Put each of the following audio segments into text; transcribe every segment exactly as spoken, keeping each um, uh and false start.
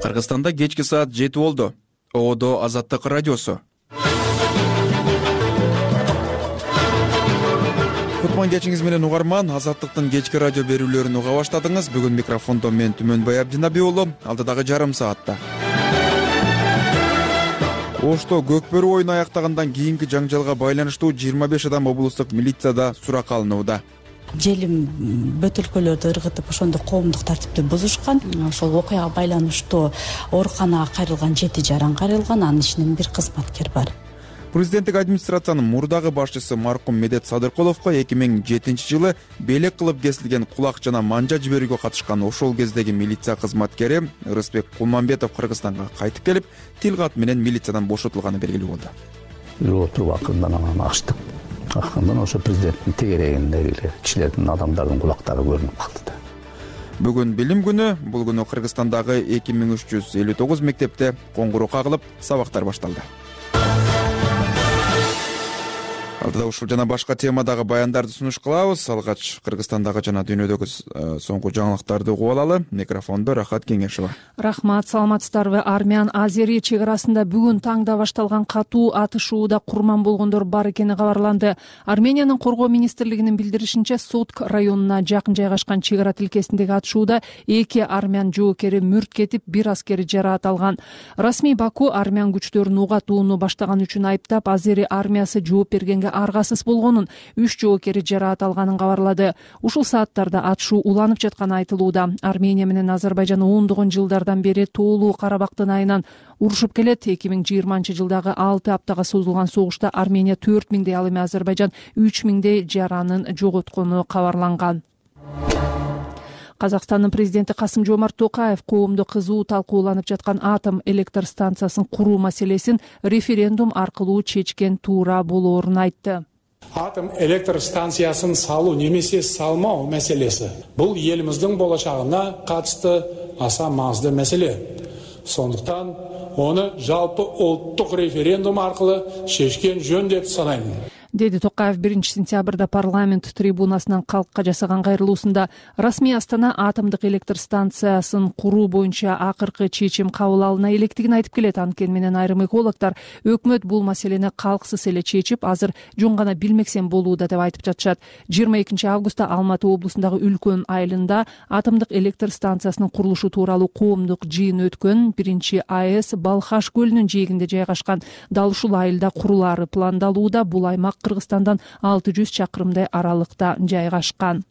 Кыргызстанда кечки саат жети болду. Оодо Азаттык радиосу. Кутман кечиңиз менен угарман, Азаттыктын кечки радио берүүлөрүн уга баштадыңыз. Бүгүн микрофондо мен Түмөнбай Абдинаби уулу. Алдыдагы жарым саатта Ошто көкбөрү оюну аяктагандан кийинки жаңжалга байланыштуу жыйырма беш адам облустук милицияда суракка алынууда. Желим бөтөлкөлөрдү ыргытып, ошондо коомдук тартипти бузушкан. Ошол окуяга байланыштуу ооруканага кайрылган жети жаран кайрылган, анын ичинен бир кызматкер бар. Президенттик администрациянын мурдагы башчысы маркум Медет Садыркуловго эки миң жетинчи жылы белек кылып кесилген кулак жана манжа жиберүүгө катышкан ошол кездеги милиция кызматкери Рысбек Кулманбетов Кыргызстанга кайтып келип, тил кат менен милициядан бошотулганы белгилүү болду. Отуруп акырындан анан ачтык. Акырындан ошо президенттин тегерегиндеги кишилердин, адамдардын кулактары көрүнүп калды да. Бүгүн билим күнү. Бул күнү Кыргызстандагы эки миң үч жүз элүү тогуз мектепте коңгуроо кагылып, сабактар башталды. Алдыда ушул жана башка темадагы баяндарды сунуш кылабыз. Алгач Кыргызстандагы жана дүйнөдөгү соңку жаңылыктарды угуп алалы. Микрофондо Рахат Кеңешова. Рахмат, саламатсыздарбы? Армян Азери чек арасында бүгүн таңда башталган катуу атышууда курман болгондор бар экени кабарланды. Армениянын коргоо министрлигинин билдиришинче, Сотк районуна жакын жайгашкан чек ара тилкесиндеги атышууда эки армян жоокери мүрт кетип, бир аскери жараат алган. Расмий Баку армян күчтөрүн уга атууну баштаган үчүн айыптап, Азери армиясы жооп бергенге аргасыз болгонун, үч жоокери жараат алганын кабарлады. Ушул сааттарда атышуу уланып жатканы айтылууда. Армения менен Азербайжан ондогон жылдардан бери тоолуу Карабактын айынан урушуп келет. эки миң жыйырманчы жылдагы алты аптага созулган согушта Армения төрт миңдей, ал эми Азербайжан үч миңдей жаранын жоготкону кабарланган. Казакстандын президенти Касым-Жомарт Токаев коомдо кызуу талкууланып жаткан атом электр станциясын куруу маселесин референдум аркылуу чечкен туура болоорун айтты. Атом электр станциясын салуу немесе салмоо маселеси бул элибиздин болочогуна катышты аса маңыздуу маселе. Сондуктан оны жалпы улуттук референдум аркылуу чечкен жөн деп санайм, деди Токаев биринчи сентябрда парламент трибунасынан калкка жасаган кайрылуусунда. Расмий Астана атомдук электр станциясын куруу боюнча акыркы чечим кабыл алына электигин айтып келет. Анткени менен айрым экологдор өкмөт бул маселени калксыз эле чечип, азыр жөн гана билмексен болууда деп айтып жатышат. жыйырма экинчи августта Алматы облусундагы Үлкөн айылында атомдук электр станциясынын курулушу тууралуу коомдук жыйын өткөн. Биринчи АЭС Балхаш көлүнүн жээгинде жайгашкан. Дал ушул айылда курулаары пландалууда. Бул аймак Кыргызстандан алты жүз чакырымдай аралыкта жайгашкан.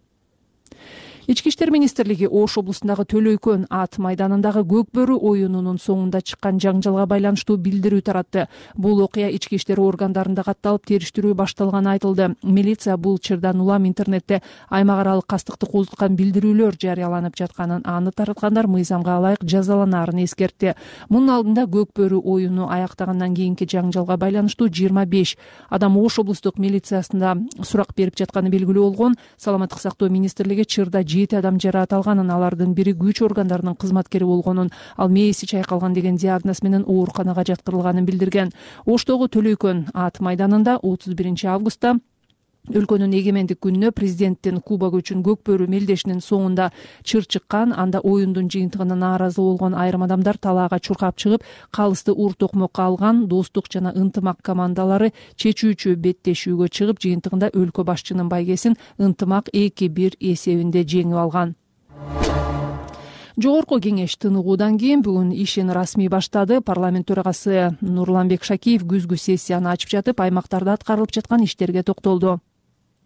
Ички иштер министрлиги Ош облусундагы Төлөйкөн ат майданындагы көкбөрү оюнунун соңунда чыккан жаңжалга байланыштуу билдирүү таратты. Бул окуя ички иштер органдарында катталып, териштирүү башталганы айтылды. Милиция бул чырдан улам интернетте аймак аралык кастыкты козуткан билдирүүлөр жарыяланып жатканын, аны тараткандар мыйзамга ылайык жазаланаарын эскертти. Мунун алдында көкбөрү оюну аяктагандан кийинки жаңжалга байланыштуу жыйырма беш адам Ош облустук милициясында сурак берип жатканы белгилүү болгон. Саламаттык сактоо министрлиги чырда жети адам жараат алганын, алардын бири күч органдарынын кызматкери болгонун, ал мээси чайкалган деген диагноз менен ооруканага жаткырылганын билдирген. Оштогу Төлөйкөн ат майданында отуз биринчи августта өлкөнүн эгемендик күнүнө президенттин кубогу үчүн көкбөрү мелдешинин соңунда чыр чыккан. Анда оюндун жыйынтыгына нааразы болгон айрым адамдар талаага чуркап чыгып, калысты ур токмокко алган. Достук жана ынтымак командалары чечүүчү беттешүүгө чыгып, жыйынтыгында өлкө башчынын байгесин ынтымак эки бир эсебинде жеңип алган. Жогорку кеңеш тыныгуудан кийин бүгүн ишин расмий баштады. Парламент төрагасы Нурланбек Шакиев күзгү сессияны ачып жатып, аймактарда аткарылып жаткан иштерге токтолду.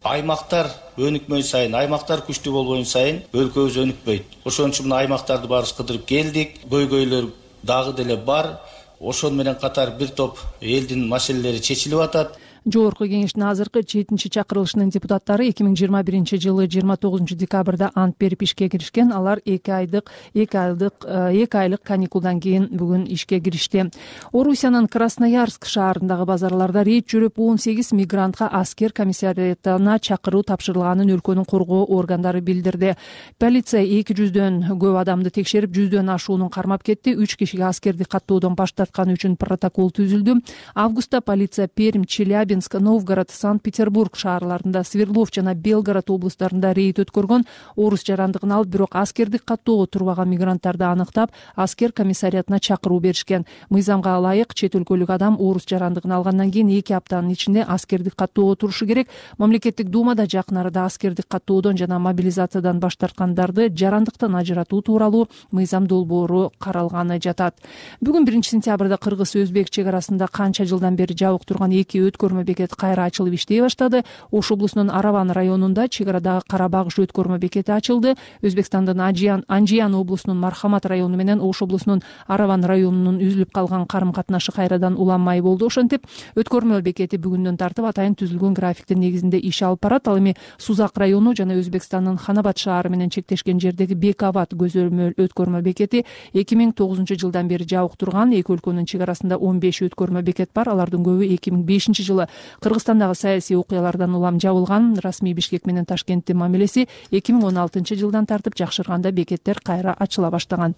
Аймактар өнүкмөй сайын, аймактар күчтүү болбойн сайын өлкөбүз өнүкпөйт. Ошон үчүн аймактарды баарыбыз кыдырып келдик. Көйгөйлөр дагы деле бар. Ошон менен катар бир топ элдин маселелери чечилип атат. Жогорку кеңештин азыркы жетинчи чакырылышынын депутаттары эки миң жыйырма биринчи жылы жыйырма тогузунчу декабрда ант берип ишке киришкен. Алар эки айдык эки айлык эки айлык каникулдан кийин бүгүн ишке киришти. Орусиянын Красноярск шаарындагы базарларда рейд жүрүп, он сегиз мигрантка аскер комиссариатына чакыруу тапшырылганын өлкөнүн коргоо органдары билдирди. Полиция эки жүздөн көп адамды текшерип, жүздөн ашуунун кармап кетти. үч кишиге аскерди каттоодон баш тартканы үчүн протокол түзүлдү. Августта полиция Пермь, Челябинск Челябинск, Новгород, Санкт-Петербург шаарларында, Свердлов жана Белгород облустарында рейд өткөргөн. Оорус жарандыгын алып, бирок аскердик каттоого турбаган мигранттарды аныктап, аскер комиссариатына чакыруу беришкен. Мыйзамга ылайык чет өлкөлүк адам оорус жарандыгын алгандан кийин эки аптанын ичинде аскердик каттоого турушу керек. Мамлекеттик думада жакын арада аскердик каттоодон жана мобилизациядан баш тарткандарды жарандыктан ажыратуу тууралуу мыйзам долбоору каралганы жатат. Бүгүн биринчи сентябрда кыргыз-өзбек чек арасында канча жылдан бери жабык турган эки өткөрмө бекет кайра ачылып иштей баштады. Ош облусунун Араван районунда чек арадагы Карабагыш өткөрмө бекети ачылды. Өзбекстандын Анжиян облусунун Мархамат району менен Ош облусунун Араван районунун үзүлүп калган карым катнашы кайрадан уланмай болду. Ошентип өткөрмө бекети бүгүндөн тартып атайын түзүлгөн графиктин негизинде иш алып барат. Ал эми Сузак району жана Өзбекстандын Ханабад шаары менен чектешкен жердеги Бекабад көзөмөл өткөрмө бекети эки миң тогузунчу жылдан бери жабык турган. Эки өлкөнүн чек арасында он беш өткөрмө бекет бар. Алардын көбү эки миң бешинчи жылы Кыргызстандагы саясий окуялардан улам жабылган. Расмий Бишкек менен Ташкенттин мамилеси эки миң он алтынчы жылдан тартып жакшырганда бекеттер кайра ачыла баштаган.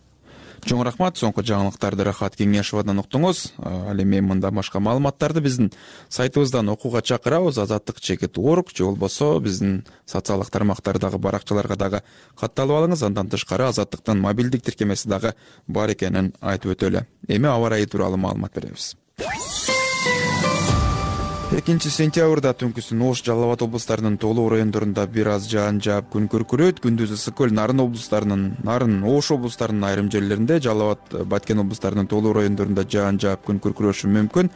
Чоң рахмат. Соңку жаңылыктарды Рахат Кеңешовадан уктуңуз. Ал эми мында башка маалыматтарды биздин сайтыбыздан окууга чакырабыз. азаттык чекит точка орг же болбосо биздин социалдык тармактардагы баракчаларга дагы катталып алыңыз. Андан тышкары Азаттыктын мобилдик тиркемеси дагы бар экенин айтып өтөлү. Эми аба ырайы тууралуу маалымат беребиз. экинчи сентябрда түнкүсүн Ош, Жалал Абад облустарынын толук райондорунда бир аз жаан жаап күн күркүрөйт. Күндүз ысык көл, Нарын облустарынын, Нарын, Ош облустарынын айрым жерлеринде, Жалал Абад, Баткен облустарынын толук райондорунда жаан жаап күн күркүрөшү мүмкүн.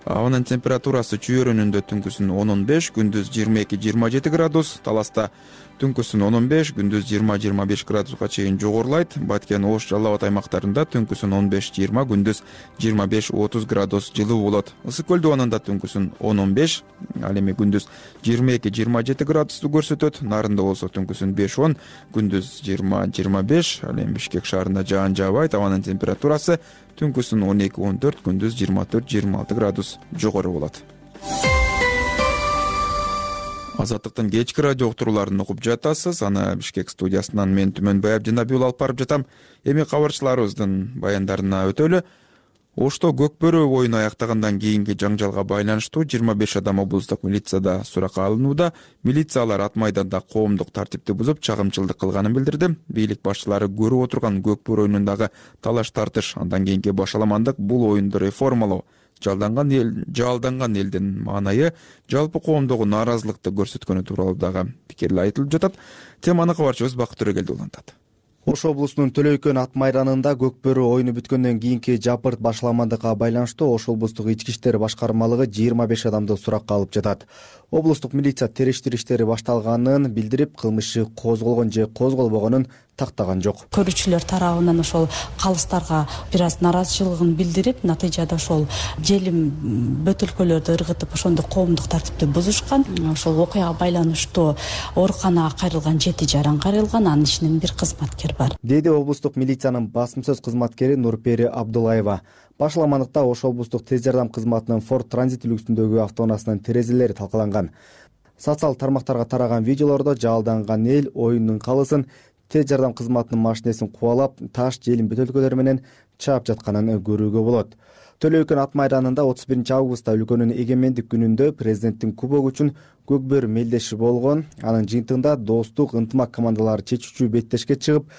Абанын температурасы чүйөрүнүндө түнкүсүн он он беш, күндүз жыйырма эки жыйырма жети градус, Таласта түнкүсүн он он беш, күндүз жыйырма жыйырма беш градуска чейин жогорулайт. Баткен, Ош, Жалал Абад аймактарында түнкүсүн он беш жыйырма, күндүз жыйырма беш отуз градус жылуу болот. Ысык көл дубанында түнкүсүн он он беш, ал эми күндүз жыйырма эки жыйырма жети градусту көрсөтөт. Нарында болсо түнкүсүн беш он, күндүз жыйырма жыйырма беш, ал эми Бишкек шаарында жаан жаабайт. Абанын температурасы түнкүсүн он эки он төрт, күндүз жыйырма төрт жыйырма алты градус жогору болот. Азаттыктын кечки радио уктурууларын угуп жатасыз. Аны Бишкек студиясынан мен Түмөнбай Абдинабиул алып барып жатам. Эми кабарчыларыбыздын баяндарына өтөлү. Ошто Көкбөрү оюну аяктагандан кийинки жаңжалга байланыштуу жыйырма беш адам облустук милицияда суракка алынууда. Милициялар ат майданда коомдук тартипти бузуп, чагымчылдык кылганын билдирди. Бийлик башчылары көрүп отурган Көкбөрү оюнундагы талаш тартыш, андан кийинки башаламандык бул оюнду реформалоо, жалданган эл, жалданган элдин маанайы жалпы коомдогу нааразылыкты көрсөткөнү тууралуу дагы пикирлер айтылып жатат. Теманы кабарчыбыз Бакыт Төрөгелди улантат. Ош облусунун Төлөйкөн ат майданында Көкбөрү оюну бүткөндөн кийинки жапырт башаламандыкка байланыштуу Ош облустук ички иштер башкармалыгы жыйырма беш адамды суракка алып жатат. Облустук милиция териштирүү иштери башталганын билдирип, кылмыш иши козголгон же козголбогонун тактаган жок. Көрүүчүлөр тарабынан ошол калыстарга бир аз нааразычылыгын билдирип, натыйжада ошол желим бөтөлкөлөрдү ыргытып, ошондо коомдук тартипти бузушкан. Ошол окуяга байланыштуу ооруканага кайрылган жети жаран кайрылган, анын ичинен бир кызматкер бар, деди облустук милициянын басым сөз кызматкери Нурпери Абдулаева. Башаламандыкта Ош облустук тез жардам кызматынын Форд Транзит үлгүсүндөгү автоунаасынын терезелери талкаланган. Социал тармактарга тараган видеолордо жалданган эл оюндун калысын тез жардам кызматынын машинесин кубалап, таш желим бөтөлкөлөр менен чаап жатканын көрүүгө болот. Төлөйкөн ат майданында отуз биринчи августта өлкөнүн эгемендик күнүндө президенттин кубогу үчүн Көкбөрү мелдеши болгон. Анын жыйынтыгында достук, ынтымак командалары чечүүчү беттешке чыгып,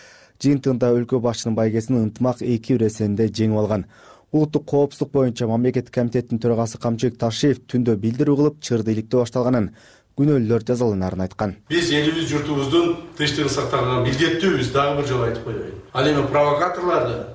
жыйынтыгында өлкө башчынын байгесин ынтымак эки бир эсенде жеңип алган. Улуттук коопсуздук боюнча мамлекеттик комитеттин төрагасы Камчыбек Ташиев түндө билдирүү кылып, чырды иликтөө башталганын, күнөөлөр жазаланарын айткан. Биз элибиз журтубуздун тынчтыгын сактаганга милдеттүүбүз, дагы бир жолу айтып коеюн. Ал эми провокаторларды,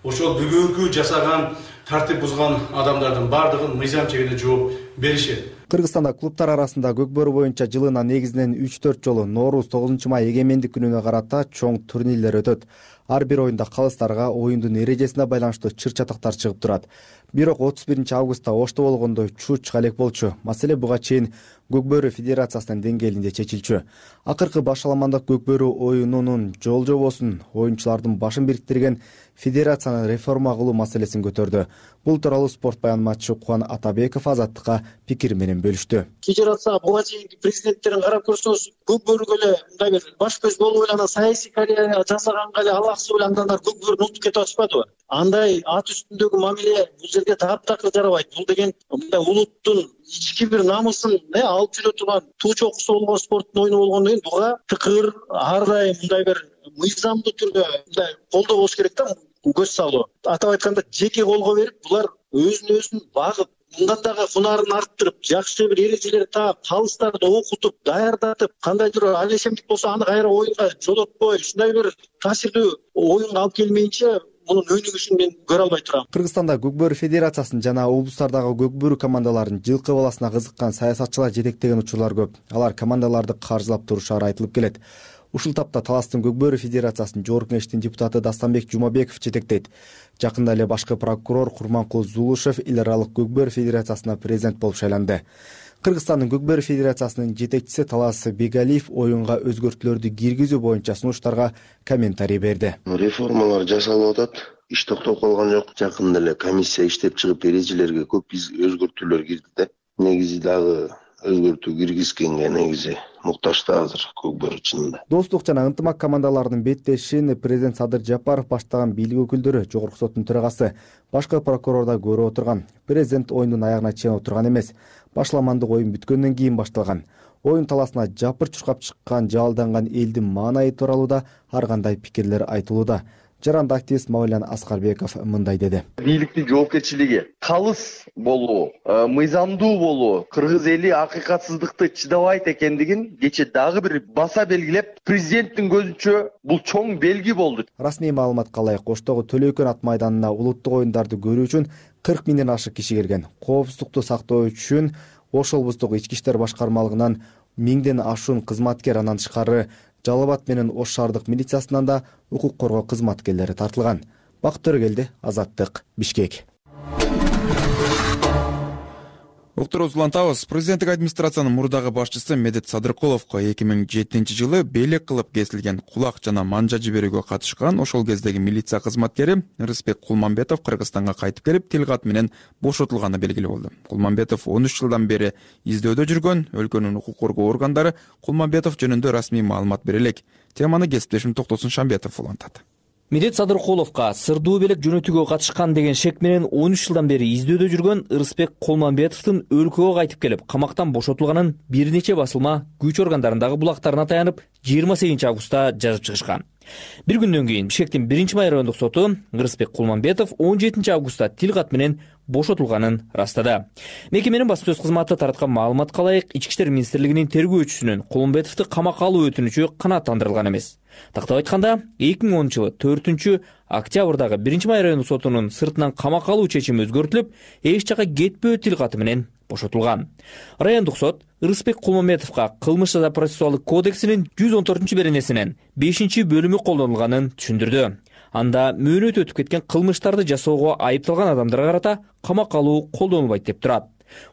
ошол бүгүнкү жасаган тартип бузган адамдардын бардыгын мыйзам чегинде жооп беришет. Кыргызстанда клубтар арасында Көкбөрү боюнча жылына негизинен үч төрт жолу Ноорус тогузунчу май эгемендик күнүнө карата чоң турнирлер өтөт. Ар бир оюнда калыстарга оюндун эрежесине байланыштуу чыр чатактар чыгып турат. Бирок отуз биринчи августта Ошто болгондой чуч чыга элек болчу. Маселе буга чейин Көкбөрү федерациясынын деңгээлинде чечилчү. Акыркы башаламандык Көкбөрү оюнунун жол жобосун, оюнчулардын башын бириктирген федерацияны реформа кылуу маселесин көтөрдү. Бул тууралуу спорт баянмачы Кубан Атабеков Азаттыкка пикир менен бөлүштү. Федерация буга чейинки президенттерин карап көрсөңүз, Көкбөрүгө эле мындай бир баш көз болуп эле саясий карьера жасаганга эле алак акысы ойлангандар көкбөрүн утуп кетип атышпадыбы? Андай ат үстүндөгү мамиле бул жерге таптакыр жарабайт. Бул деген мындай улуттун ички бир намысын алып жүрө турган туу чокусу болгон спорттун оюну болгондон кийин буга тыкыр ар дайым мындай бир мыйзамдуу түрдө мындай колдоо болуш керек да, көз салуу. Атап айтканда жеке колго берип, булар өзүн өзүн багып, мындан дагы кунарын арттырып, жакшы бир эрежелер таап, калыстарды окутуп, даярдатып, кандайдыр алешемдик болсо аны кайра оюнга жолотпой, ушундай бир таасирдүү оюнга алып келмейинче мунун өнүгүшүн мен көрө албай турам. Кыргызстанда көкбөрү федерациясын жана облустардагы көкбөрү командаларын жылкы баласына кызыккан саясатчылар жетектеген учурлар көп. Алар командаларды каржылап турушары айтылып келет. Ушул тапта Таластын көкбөрү федерациясын жогорку кеңештин депутаты Дастанбек Жумабеков жетектейт. Жакында эле башкы прокурор Курманкул Зулушев эл аралык көкбөрү федерациясына президент болуп шайланды. Кыргызстандын көкбөрү федерациясынын жетекчиси Талас Бегалиев оюнга өзгөртүүлөрдү киргизүү боюнча сунуштарга комментарий берди. Реформалар жасалып атат. Иш токтоп калган жок. Жакында эле комиссия иштеп чыгып эрежелерге көп өзгөртүүлөр кирди да. Негизи дагы өзгөртүү киргизгенге негизи муктаж да азыр көкбөрү чынында. Достук жана ынтымак командаларынын беттешин президент Садыр Жапаров баштаган бийлик өкүлдөрү, жогорку соттун төрагасы, башкы прокурор да көрүп отурган. Президент оюндун аягына чейин отурган эмес. Башламандык оюн бүткөндөн кийин башталган. Оюн таласына жапыр чуркап чыккан жаалданган элдин маанайы тууралуу да ар кандай пикирлер айтылууда. Жаранды активист Мавлян Аскарбеков мындай деди. Бийликтин жоопкерчилиги калыс болуу, мыйзамдуу болуу, кыргыз эли акыйкатсыздыкты чыдабайт экендигин кече дагы бир баса белгилеп, президенттин көзүнчө бул чоң белги болду. Расмий маалыматка ылайык, Оштогу Төлөйкөн ат майданына улуттук оюндарды көрүү үчүн кырк миңден ашык киши келген. Коопсуздукту сактоо үчүн Ош облустук ички иштер башкармалыгынан миңден ашуун кызматкер, андан тышкары Жалал Абад менен Ош шаардык милициясынан да укук коргоо кызматкерлери тартылган. Бакыт Төрөгелди, Азаттык, Бишкек. Уктуруп улантабыз. Президенттик администрациянын мурдагы башчысы Медет Садыркуловго эки миң жетинчи жылы белек кылып кесилген кулак жана манжа жиберүүгө катышкан ошол кездеги милиция кызматкери Рыспек Кулманбетов Кыргызстанга кайтып келип, тил кат менен бошотулганы белгилүү болду. Кулманбетов он үч жылдан бери издөөдө жүргөн. Өлкөнүн укук коргоо органдары Кулманбетов жөнүндө расмий маалымат бере элек. Теманы кесиптешим Токтосун Шамбетов улантат. Медет Садыркуловго сырдуу белек жөнөтүүгө катышкан деген шек менен он үч жылдан бери издөөдө жүргөн Рыспек Кулманбетовдун өлкөгө кайтып келип, камактан бошотулганын бир нече басылма күч органдарындагы булактарына таянып жыйырма сегизинчи августта жазып чыгышкан. Бир күндөн кийин Бишкектин биринчи май райондук соту Рыспек Кулманбетов он жетинчи августта тил кат менен бошотулганын ырастады. Мекеменин басма сөз кызматы тараткан маалыматка ылайык, Ички иштер министрлигинин тергөөчүсүнүн Кулманбетовду камакка алуу өтүнүчү канааттандырылган эмес. Тактап айтканда, эки миң онунчу жылы төртүнчү октябрдагы биринчи май райондук сотунун сыртынан камакка алуу чечими өзгөртүлүп, эч жака кетпөө тил каты менен бошотулган. Райондук сот Рыспек Кулманбетовго кылмыш жаза процессуалдык кодексинин жүз он төртүнчү беренесинин бешинчи бөлүмү колдонулганын түшүндүрдү. Анда мөөнөт өтүп кеткен кылмыштарды жасоого айыпталган адамдарга карата камакка алуу колдонулбайт деп турат.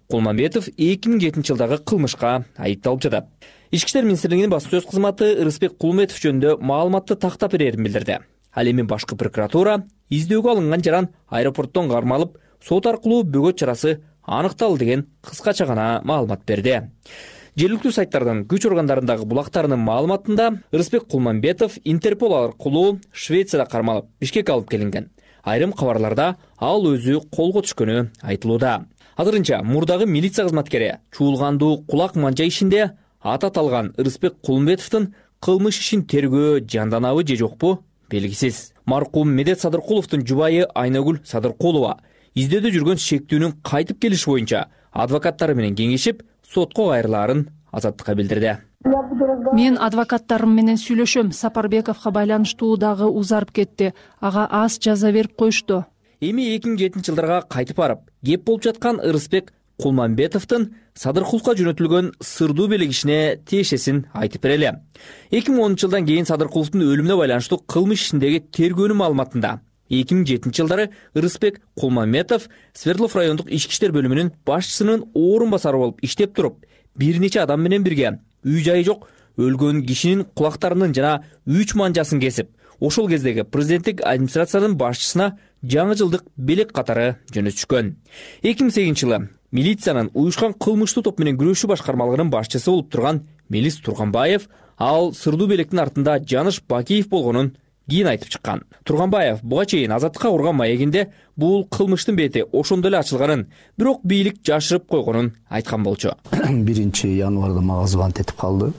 Кулманбетов эки миң жетинчи жылдагы кылмышка айыпталып жатат. Ички иштер министрлигинин басма сөз кызматы Рыспек Кулманбетов жөнүндө маалыматты тактап берерин билдирди. Ал эми башкы прокуратура издөөгө алынган жаран аэропорттон кармалып, сот аркылуу бөгөт чарасы аныкталды деген кыскача гана маалымат берди. Жергиликтүү сайттардын күч органдарындагы булактарынын маалыматында Рыспек Кулманбетов Интерпол аркылуу Швецияда кармалып, Бишкекке алып келинген. Айрым кабарларда ал өзү колго түшкөнү айтылууда. Азырынча мурдагы милиция кызматкери чуулгандуу кулак манжа ишинде ат аталган Рыспек Кулманбетовдун кылмыш ишин тергөө жанданабы же жокпу белгисиз. Маркум Медет Садыркуловдун жубайы Айнагүл Садыркулова издөөдө жүргөн шектүүнүн кайтып келиши боюнча адвокаттары менен кеңешип, сотко кайрылаарын Азаттыкка билдирди. Мен адвокаттарым менен сүйлөшөм. Сапарбековго байланыштуу дагы узарып кетти. Ага аз жаза берип коюшту. Эми эки миң жетинчи жылдарга кайтып барып, кеп болуп жаткан Рыспек Кулманбетовдун Садыркуловго жөнөтүлгөн сырдуу белек ишине тиешесин айтып берели. эки миң онунчу жылдан кийин Садыркуловдун өлүмүнө байланыштуу кылмыш ишиндеги тергөөнүн маалыматында эки миң жетинчи жылдары Рыспек Кулманбетов Свердлов райондук ички иштер бөлүмүнүн башчысынын орун басары болуп иштеп туруп, бир нече адам менен бирге үй жайы жок өлгөн кишинин кулактарынын жана үч манжасын кесип, ошол кездеги президенттик администрациянын башчысына жаңы жылдык белек катары жөнөтүшкөн. эки миң сегизинчи жылы милициянын уюшкан кылмыштуу топ менен күрөшүү башкармалыгынын башчысы болуп турган Мелис Турганбаев ал сырдуу белектин артында Жаныш Бакиев болгонун кийин айтып чыккан. Турганбаев буга чейин Азаттыкка курган маегинде бул кылмыштын бети ошондо эле ачылганын, бирок бийлик жашырып койгонун айткан болчу. биринчи январда мага звонок этип калды.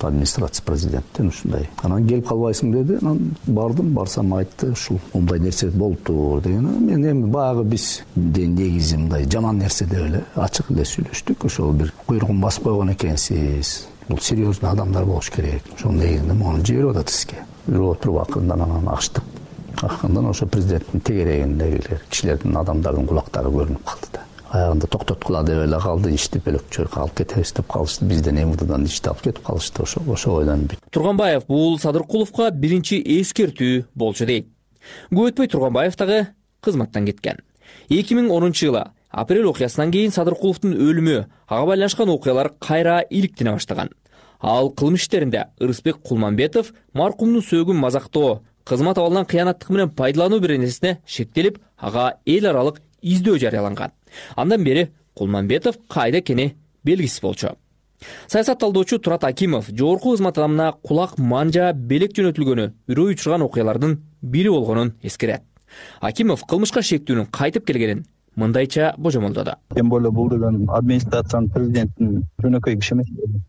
Администрация президенттен ушундай. Анан келип калбайсың деди. Анан бардым, барсам айтты, ушул мындай нерсе болуптур деген. Мен эми баягы биз негизи мындай жаман нерсе деп эле ачык эле сүйлөштүк. Ошол бир куйругун басып койгон экенсиз. Бул серьезный адамдар болуш керек. Ошол негизинде муну жиберип атат сизге. Жүрүп туруп акырындан анан ачтык. Акырындан ошо президенттин тегерегиндегилер, кишилердин, адамдардын кулактары көрүнүп калды да. Аягында токтоткула деп эле калды, ишти бөлөкчө алып кетебиз деп калышты. Бизден МВДдан ишти алып кетип калышты. Ошо ошо ойдон бүт. Турганбаев бул Садыркуловго биринчи эскертүү болчу дейт. Көп өтпөй Турганбаев дагы кызматтан кеткен. эки миң онунчу жылы апрель окуясынан кийин Садыркуловдун өлүмү, ага байланышкан окуялар кайра иликтене баштаган. Ал кылмыш иштеринде Ырысбек Кулманбетов маркумдун сөөгүн мазактоо, кызмат абалынан кыянаттык менен пайдалануу беренесине шектелип, ага эл аралык издөө жарыяланган. Андан бери Кулманбетов кайда экени белгисиз болчу. Саясат талдоочу Турат Акимов жогорку кызмат адамына кулак манжа белек жөнөтүлгөнү үрөй учурган окуялардын бири болгонун эскерет. Акимов кылмышка шектүүнүн кайтып келгенин мындайча божомолдоду. Тем более бул деген администрациянын, президенттин жөнөкөй киши эмес.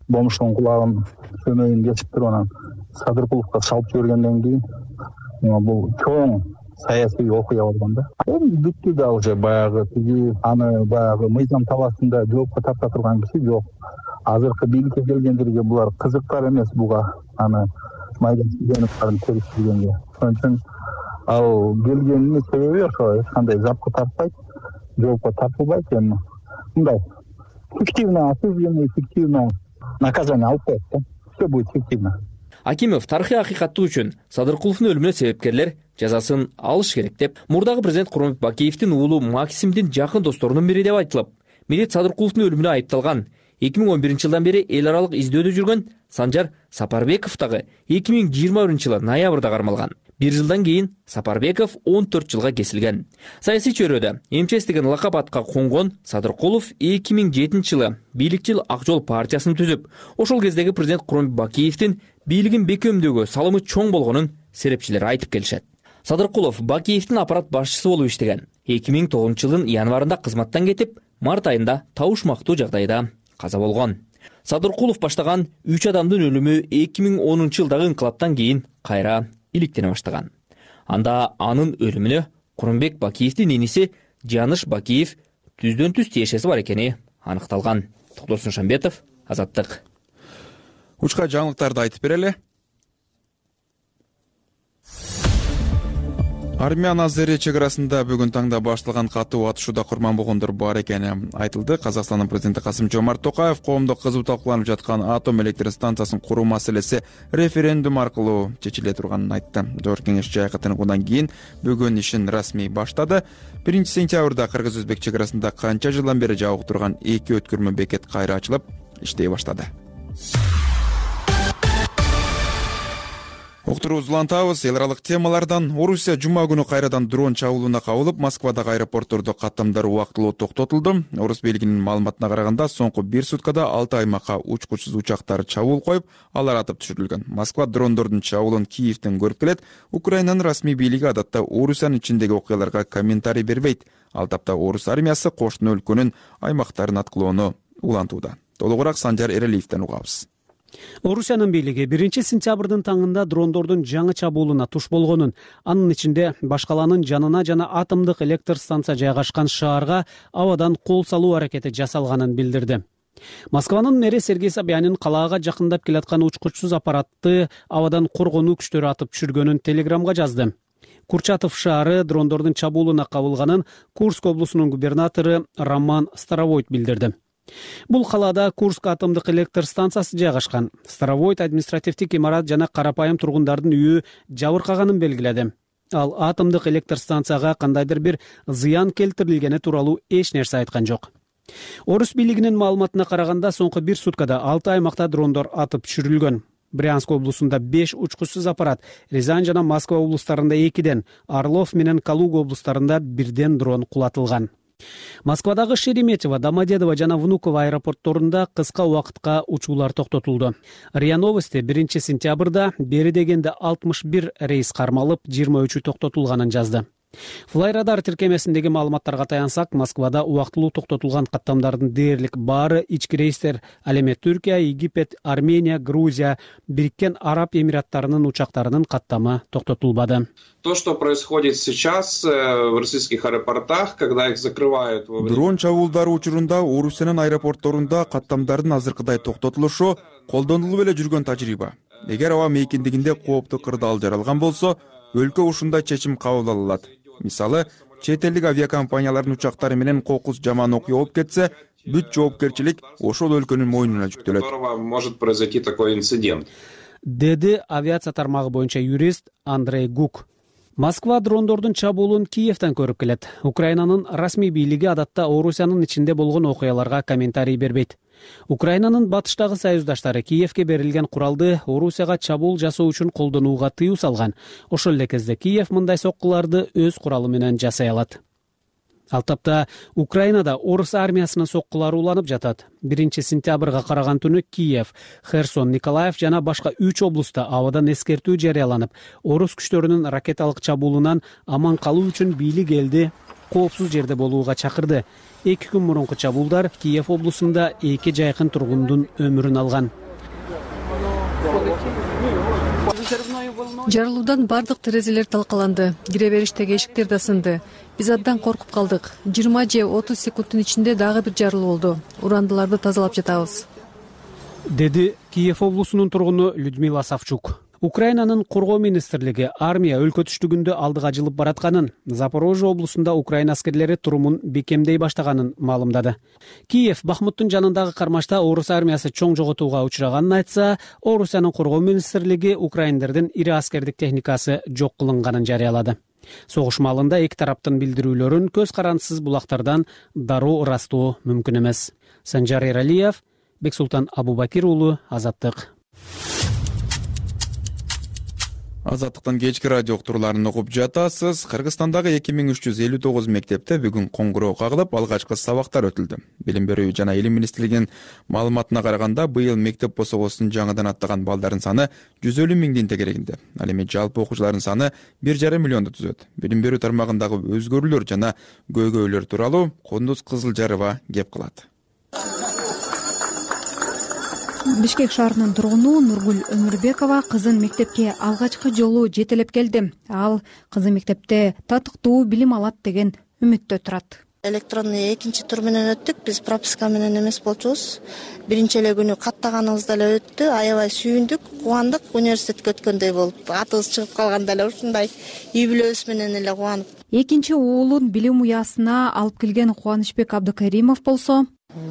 Бомуштун кулагын көмөгүн кесип туруп анан Садыркуловго салып жибергенден кийин бул чоң саясий окуя болгон да. Эми бүттү да уже баягы тиги аны баягы мыйзам талаасында жоопко тарта турган киши жок. Азыркы бийликке келгендерге булар кызыктар эмес буга аны майдан чыгыныптарын териштиргенге. Ошон үчүн ал келгенинин себеби ошо эч кандай запка тартпайт, жоопко тартылбайт. Эми мындай фиктивно осуждение, фиктивно наказание алып коет да. Все будет фиктивно. Акимов тарыхый акыйкаттык үчүн Садыркуловдун өлүмүнө себепкерлер жазасын алыш керек деп, мурдагы президент Курманбек Бакиевдин уулу Максимдин жакын досторунун бири деп айтылып, Медет Садыркуловдун өлүмүнө айыпталган эки миң он биринчи жылдан бери эл аралык издөөдө жүргөн Санжар Сапарбеков дагы эки миң жыйырма биринчи жылы ноябрда кармалган. Бир жылдан кийин Сапарбеков он төрт жылга кесилген. Саясий чөйрөдө МЧС деген лакап атка конгон Садыркулов эки миң жетинчи жылы бийликчил Ак жол партиясын түзүп, ошол кездеги президент Курманбек Бакиевдин бийлигин бекемдөөгө салымы чоң болгонун серепчилер айтып келишет. Садыркулов Бакиевдин аппарат башчысы болуп иштеген. эки миң тогузунчу жылдын январында кызматтан кетип, март айында табышмактуу жагдайда каза болгон. Садыркулов баштаган үч адамдын өлүмү эки миң онунчу жылдагы инкылаптан кийин кайра иликтене баштаган. Анда анын өлүмүнө Курманбек Бакиевдин иниси Жаныш Бакиев түздөн түз тиешеси бар экени аныкталган. Токтосун Шамбетов, Азаттык. Учка жаңылыктарды айтып берели. Армян Азери чек арасында бүгүн таңда башталган катуу атышууда курман болгондор бар экени айтылды. Казакстандын президенти Касым-Жомарт Токаев коомдо кызуу талкууланып жаткан атом электр станциясын куруу маселеси референдум аркылуу чечиле турганын айтты. Жогорку кеңеш жайкы тыныгуудан кийин бүгүн ишин расмий баштады. биринчи сентябрда кыргыз-өзбек чек арасында канча жылдан бери жабык турган эки өткөрмө бекет кайра ачылып, иштей баштады. Уктурубузду улантабыз. Эл аралык темалардан Орусия жума күнү кайрадан дрон чабуулуна кабылып, Москвадагы аэропорттордо каттамдар убактылуу токтотулду. Орус бийлигинин маалыматына караганда, соңку бир суткада алты аймакка учкучсуз учактар чабуул коюп, алар атып түшүрүлгөн. Москва дрондордун чабуулун Киевден көрүп келет. Украинанын расмий бийлиги адатта Орусиянын ичиндеги окуяларга комментарий бербейт. Ал тапта Орус армиясы кошуна өлкөнүн аймактарын аткылоону улантууда. Толугураак Санжар Эрелиевден угабыз. Орусиянын бийлиги биринчи сентябрдын таңында дрондордун жаңы чабуулуна туш болгонун, анын ичинде баш калаанын жанына жана атомдук электр станция жайгашкан шаарга абадан кол салуу аракети жасалганын билдирди. Москванын мэри Сергей Собянин калаага жакындап келаткан учкучсуз аппаратты абадан коргонуу күчтөрү атып түшүргөнүн телеграмга жазды. Курчатов шаары дрондордун чабуулуна кабылганын Курск облусунун губернатору Роман Старовойт билдирди. Бул калаада Курск атомдук электр станциясы жайгашкан. Старовойт административдик имарат жана карапайым тургундардын үйү жабыркаганын белгиледи. Ал атомдук электр станцияга кандайдыр бир зыян келтирилгени тууралуу эч нерсе айткан жок. Орус бийлигинин маалыматына караганда, соңку бир суткада алты аймакта дрондор атып түшүрүлгөн. Брянск облусунда беш учкучсуз аппарат, Рязань жана Москва облустарында экиден, Орлов менен Калуга облустарында бирден дрон кулатылган. Москвадагы Шереметьево, Домодедово жана Внуково аэропортторунда кыска убакытка учуулар токтотулду. РИА Новости биринчи сентябрда бери дегенде алтымыш бир рейс кармалып, жыйырма үчү токтотулганын жазды. Флайрадар тиркемесиндеги маалыматтарга таянсак, Москвада убактылуу токтотулган каттамдардын дээрлик баары ички рейстер, ал эми Түркия, Египет, Армения, Грузия, Бириккен Араб Эмираттарынын учактарынын каттамы токтотулбады. То, что происходит сейчас в российских аэропортах, когда их закрывают... Дрон чабуулдары учурунда Орусиянын аэропортторунда каттамдардын азыркыдай токтотулушу колдонулуп эле жүргөн тажрыйба. Эгер аба мейкиндигинде кооптуу кырдаал жаралган болсо, өлкө ушундай чечим кабыл алынат. Мисалы, чет элдик авиакомпаниялардын учактары менен кокус жаман окуя болуп кетсе, бүт жоопкерчилик ошол өлкөнүн мойнуна жүктөлөт. Может произойти такой инцидент. Деди авиация тармагы боюнча юрист Андрей Гук. Москва дрондордун чабуулун Киевден көрүп келет. Украинанын расмий бийлиги адатта Орусиянын ичинде болгон окуяларга комментарий бербейт. Украинанын батыштагы союздаштары Киевге берилген куралды Орусияга чабуул жасоо үчүн колдонууга тыюу салган. Ошол эле кезде Киев мындай соккуларды өз куралы менен жасай алат. Ал тапта Украинада орус армиясынын соккулары уланып жатат. биринчи сентябрга караган түнү Киев, Херсон, Николаев жана башка үч облуста абадан эскертүү жарыяланып, орус күчтөрүнүн ракеталык чабуулунан аман калуу үчүн бийлик элди коопсуз жерде болууга чакырды. Эки күн мурунку чабуулдар Киев облусунда эки жайкын тургундун өмүрүн алган. Жарылуудан бардык терезелер талкаланды, кире бериштеги эшиктер да сынды. Биз абдан коркуп калдык. жыйырма же отуз секундтун ичинде дагы бир жарылуу болду. Урандыларды тазалап жатабыз, деди Киев облусунун тургуну Людмила Савчук. Украинанын коргоо министрлиги армия өлкө түштүгүндө алдыга жылып баратканын, Запорожье облусунда Украина аскерлери турумун бекемдей баштаганын маалымдады. Киев Бахмуттун жанындагы кармашта орус армиясы чоң жоготууга учураганын айтса, Орусиянын коргоо министрлиги украиндердин ири аскердик техникасы жок кылынганын жарыялады. Согуш маалында эки тараптын билдирүүлөрүн көз карандысыз булактардан дароо ырастоо мүмкүн эмес. Санжар Эралиев, Бексултан Абубакир уулу, Азаттык. Азаттыктан кечки радио уктурууларын угуп жатасыз. Кыргызстандагы эки миң үч жүз элүү тогуз мектепте бүгүн коңгуроо кагылып, алгачкы сабактар өтүлдү. Билим берүү жана илим министрлигинин маалыматына караганда, быйыл мектеп босогосун жаңыдан аттаган балдардын саны жүз элүү миңдин тегерегинде. Ал эми жалпы окуучулардын саны бир жарым миллионду түзөт. Билим берүү тармагындагы өзгөрүүлөр жана көйгөйлөр тууралуу Кондуз Кызылжарова кеп кылат. Бишкек шаарынын тургуну Нургүл Өмүрбекова кызын мектепке алгачкы жолу жетелеп келди. Ал кызы мектепте татыктуу билим алат деген үмүттө турат. Электронный экинчи тур менен өттүк. Биз прописка менен эмес болчубуз. Биринчи эле күнү каттаганыбыз деле өттү. Аябай сүйүндүк, кубандык. Университетке өткөндөй болуп, атыбыз чыгып калганда эле ушундай үй бүлөбүз менен эле кубанып. Экинчи уулун билим уясына алып келген Кубанычбек Абдыкаримов болсо,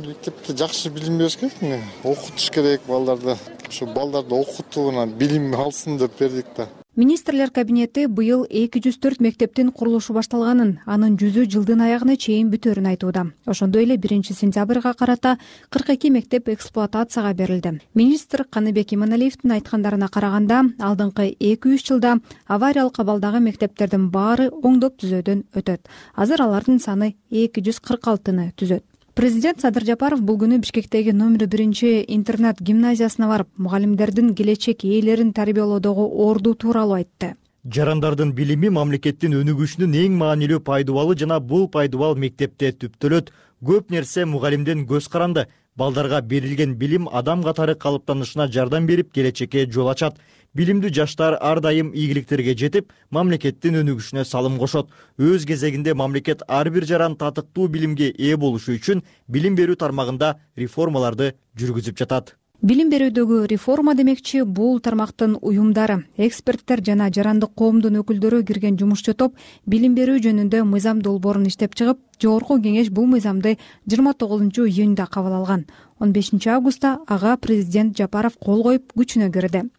мектепте жакшы билим бериш керек, окутуш керек балдарды. Ошо балдарды окутууна билим алсын деп бердик да. Министрлер кабинети быйыл эки жүз төрт мектептин курулушу башталганын, анын жүзү жылдын аягына чейин бүтөөрүн айтууда. Ошондой эле биринчи сентябрга карата кырк эки мектеп эксплуатацияга берилди. Министр Каныбек Иманалиевдин айткандарына караганда, алдыңкы эки үч жылда авариялык абалдагы мектептердин баары оңдоп түзөөдөн өтөт. Азыр алардын саны эки жүз кырк алтыны түзөт. Президент Садыр Жапаров бул күнү Бишкектеги номер биринчи интернат гимназиясына барып, мугалимдердин келечек ээлерин тарбиялоодогу орду тууралуу айтты. Жарандардын билими мамлекеттин өнүгүшүнүн эң маанилүү пайдубалы жана бул пайдубал мектепте түптөлөт. Көп нерсе мугалимдин көз каранды. Балдарга берилген билим адам катары калыптанышына жардам берип, келечекке жол ачат. Билимдүү жаштар ар дайым ийгиликтерге жетип, мамлекеттин өнүгүшүнө салым кошот. Өз кезегинде мамлекет ар бир жаран татыктуу билимге ээ болушу үчүн билим берүү тармагында реформаларды жүргүзүп жатат. Билим берүүдөгү реформа демекчи бул тармактын уюмдары, эксперттер жана жарандык коомдун өкүлдөрү кирген жумушчу топ билим берүү жөнүндө мыйзам долбоорун иштеп чыгып, жогорку кеңеш бул мыйзамды жыйырма тогузунчу июнда кабыл алган. он бешинчи августта ага президент Жапаров кол коюп күчүнө кирди.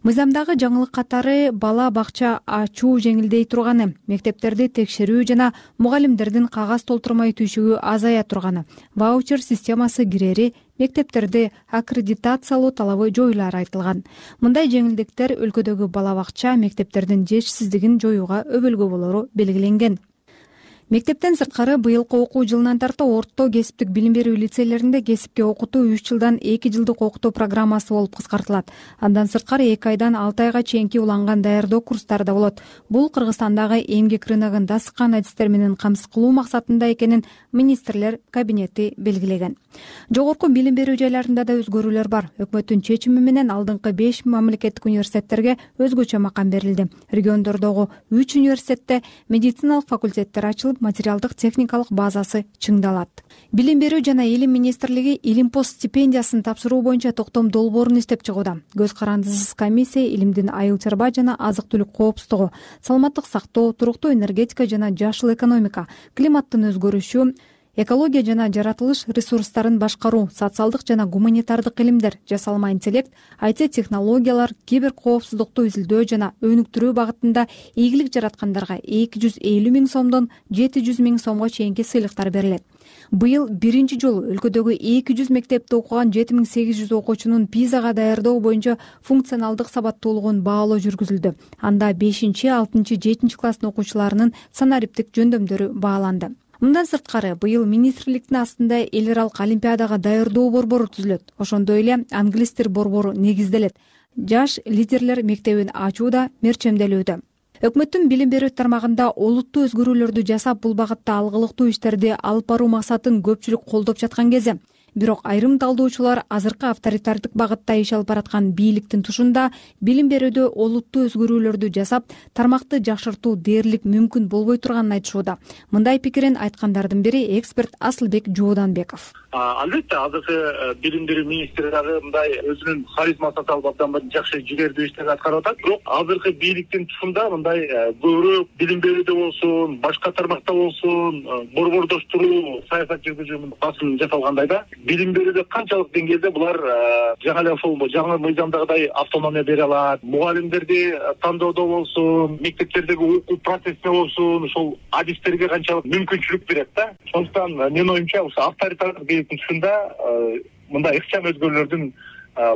Мыйзамдагы жаңылык катары бала бакча ачуу жеңилдей турганы, мектептерди текшерүү жана мугалимдердин кагаз толтурмай түйшүгү азая турганы, ваучер системасы кирери, мектептерди аккредитациялоо талабы жоюлары айтылган. Мындай жеңилдиктер өлкөдөгү бала бакча мектептердин жетишсиздигин жоюуга өбөлгө болору белгиленген. Мектептен сырткары быйылкы окуу жылынан тарта орто кесиптик билим берүү лицейлеринде кесипке окутуу үч жылдан эки жылдык окутуу программасы болуп кыскартылат. Андан сырткары эки айдан алты айга чейинки уланган даярдоо курстары да болот. Бул Кыргызстандагы эмгек рыногун дасыккан адистер менен камсыз кылуу максатында экенин министрлер кабинети белгилеген. Жогорку билим берүү жайларында да өзгөрүүлөр бар. Өкмөттүн чечими менен алдыңкы беш мамлекеттик университеттерге өзгөчө макам берилди. Региондордогу үч университетте медициналык факультеттер ачылып, материалдык техникалык базасы чыңдалат. Билим берүү жана илим министрлиги Илимпост стипендиясын тапшыруу боюнча токтом долбоорун иштеп чыгууда. Көз карандысыз комиссия илимдин айыл чарба жана азык-түлүк коопсуздугу, саламаттык сактоо, туруктуу энергетика жана жашыл экономика, климаттын өзгөрүшү, экология жана жаратылыш ресурстарын башкаруу, социалдык жана гуманитардык илимдер, жасалма интеллект, ай ти технологиялар, кибер коопсуздукту изилдөө жана өнүктүрүү багытында ийгилик жараткандарга эки жүз элүү миң сомдон жети жүз миң сомго чейинки сыйлыктар берилет. Быйыл биринчи жолу өлкөдөгү эки жүз мектепте окуган жети миң сегиз жүз окуучунун пизага даярдоо боюнча функционалдык сабаттуулугун баалоо жүргүзүлдү. Анда бешинчи, алтынчы, жетинчи класстын окуучуларынын санариптик жөндөмдөрү бааланды. Мындан сырткары быйыл министрликтин астында эл аралык олимпиадага даярдоо борбору түзүлөт. Ошондой эле англис тил борбору негизделет. Жаш лидерлер мектебин ачуу да мерчемделүүдө. Өкмөттүн билим берүү тармагында олуттуу өзгөрүүлөрдү жасап, бул багытта алгылыктуу иштерди алып баруу максатын көпчүлүк колдоп жаткан кезде, бирок айрым талдоочулар азыркы авторитардык багытта иш алып бараткан бийликтин тушунда билим берүүдө олуттуу өзгөрүүлөрдү жасап, тармакты жакшыртуу дээрлик мүмкүн болбой турганын айтышууда. Мындай пикирин айткандардын бири эксперт Асылбек Жууданбеков. Албетте азыркы билим берүү министри дагы мындай өзүнүн харизмасын салып абдан жакшы жигердүү иштерди аткарып атат. Бирок азыркы бийликтин тушунда мындай көбүрөөк билим берүүдө болсун, башка тармакта болсун, борбордоштуруу саясат жүргүзүүнүн басым жасалгандай да. Билим берүүдө канчалык деңгээлде булар жаңы эле ошол жаңы мыйзамдагыдай автономия бере алат, мугалимдерди тандоодо болсун, мектептердеги окуу процессине болсун, ошол адистерге канчалык мүмкүнчүлүк берет да. Сондуктан менин оюмча ошо авторитардык бийликтин тушунда мындай ыкчам өзгөрүүлөрдүн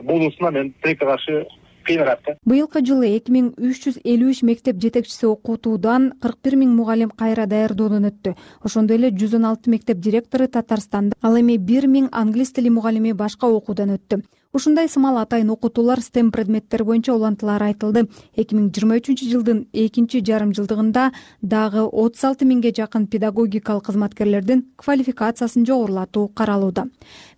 болуусуна мен тилекке каршы кыйнагат да. Быйылкы жылы эки миң үч жүз элүү үч мектеп жетекчиси окутуудан кырк бир миң мугалим кайра даярдоодон өттү. Ошондой эле жүз он алты мектеп директору Татарстанда, ал эми бир миң англис тили мугалими башка окуудан өттү. Ушундай сымал атайын окутуулар стем предметтер боюнча улантылары айтылды. эки миң жыйырма үчүнчү жылдын экинчи жарым жылдыгында дагы отуз алты миңге жакын педагогикалык кызматкерлердин квалификациясын жогорулатуу каралууда.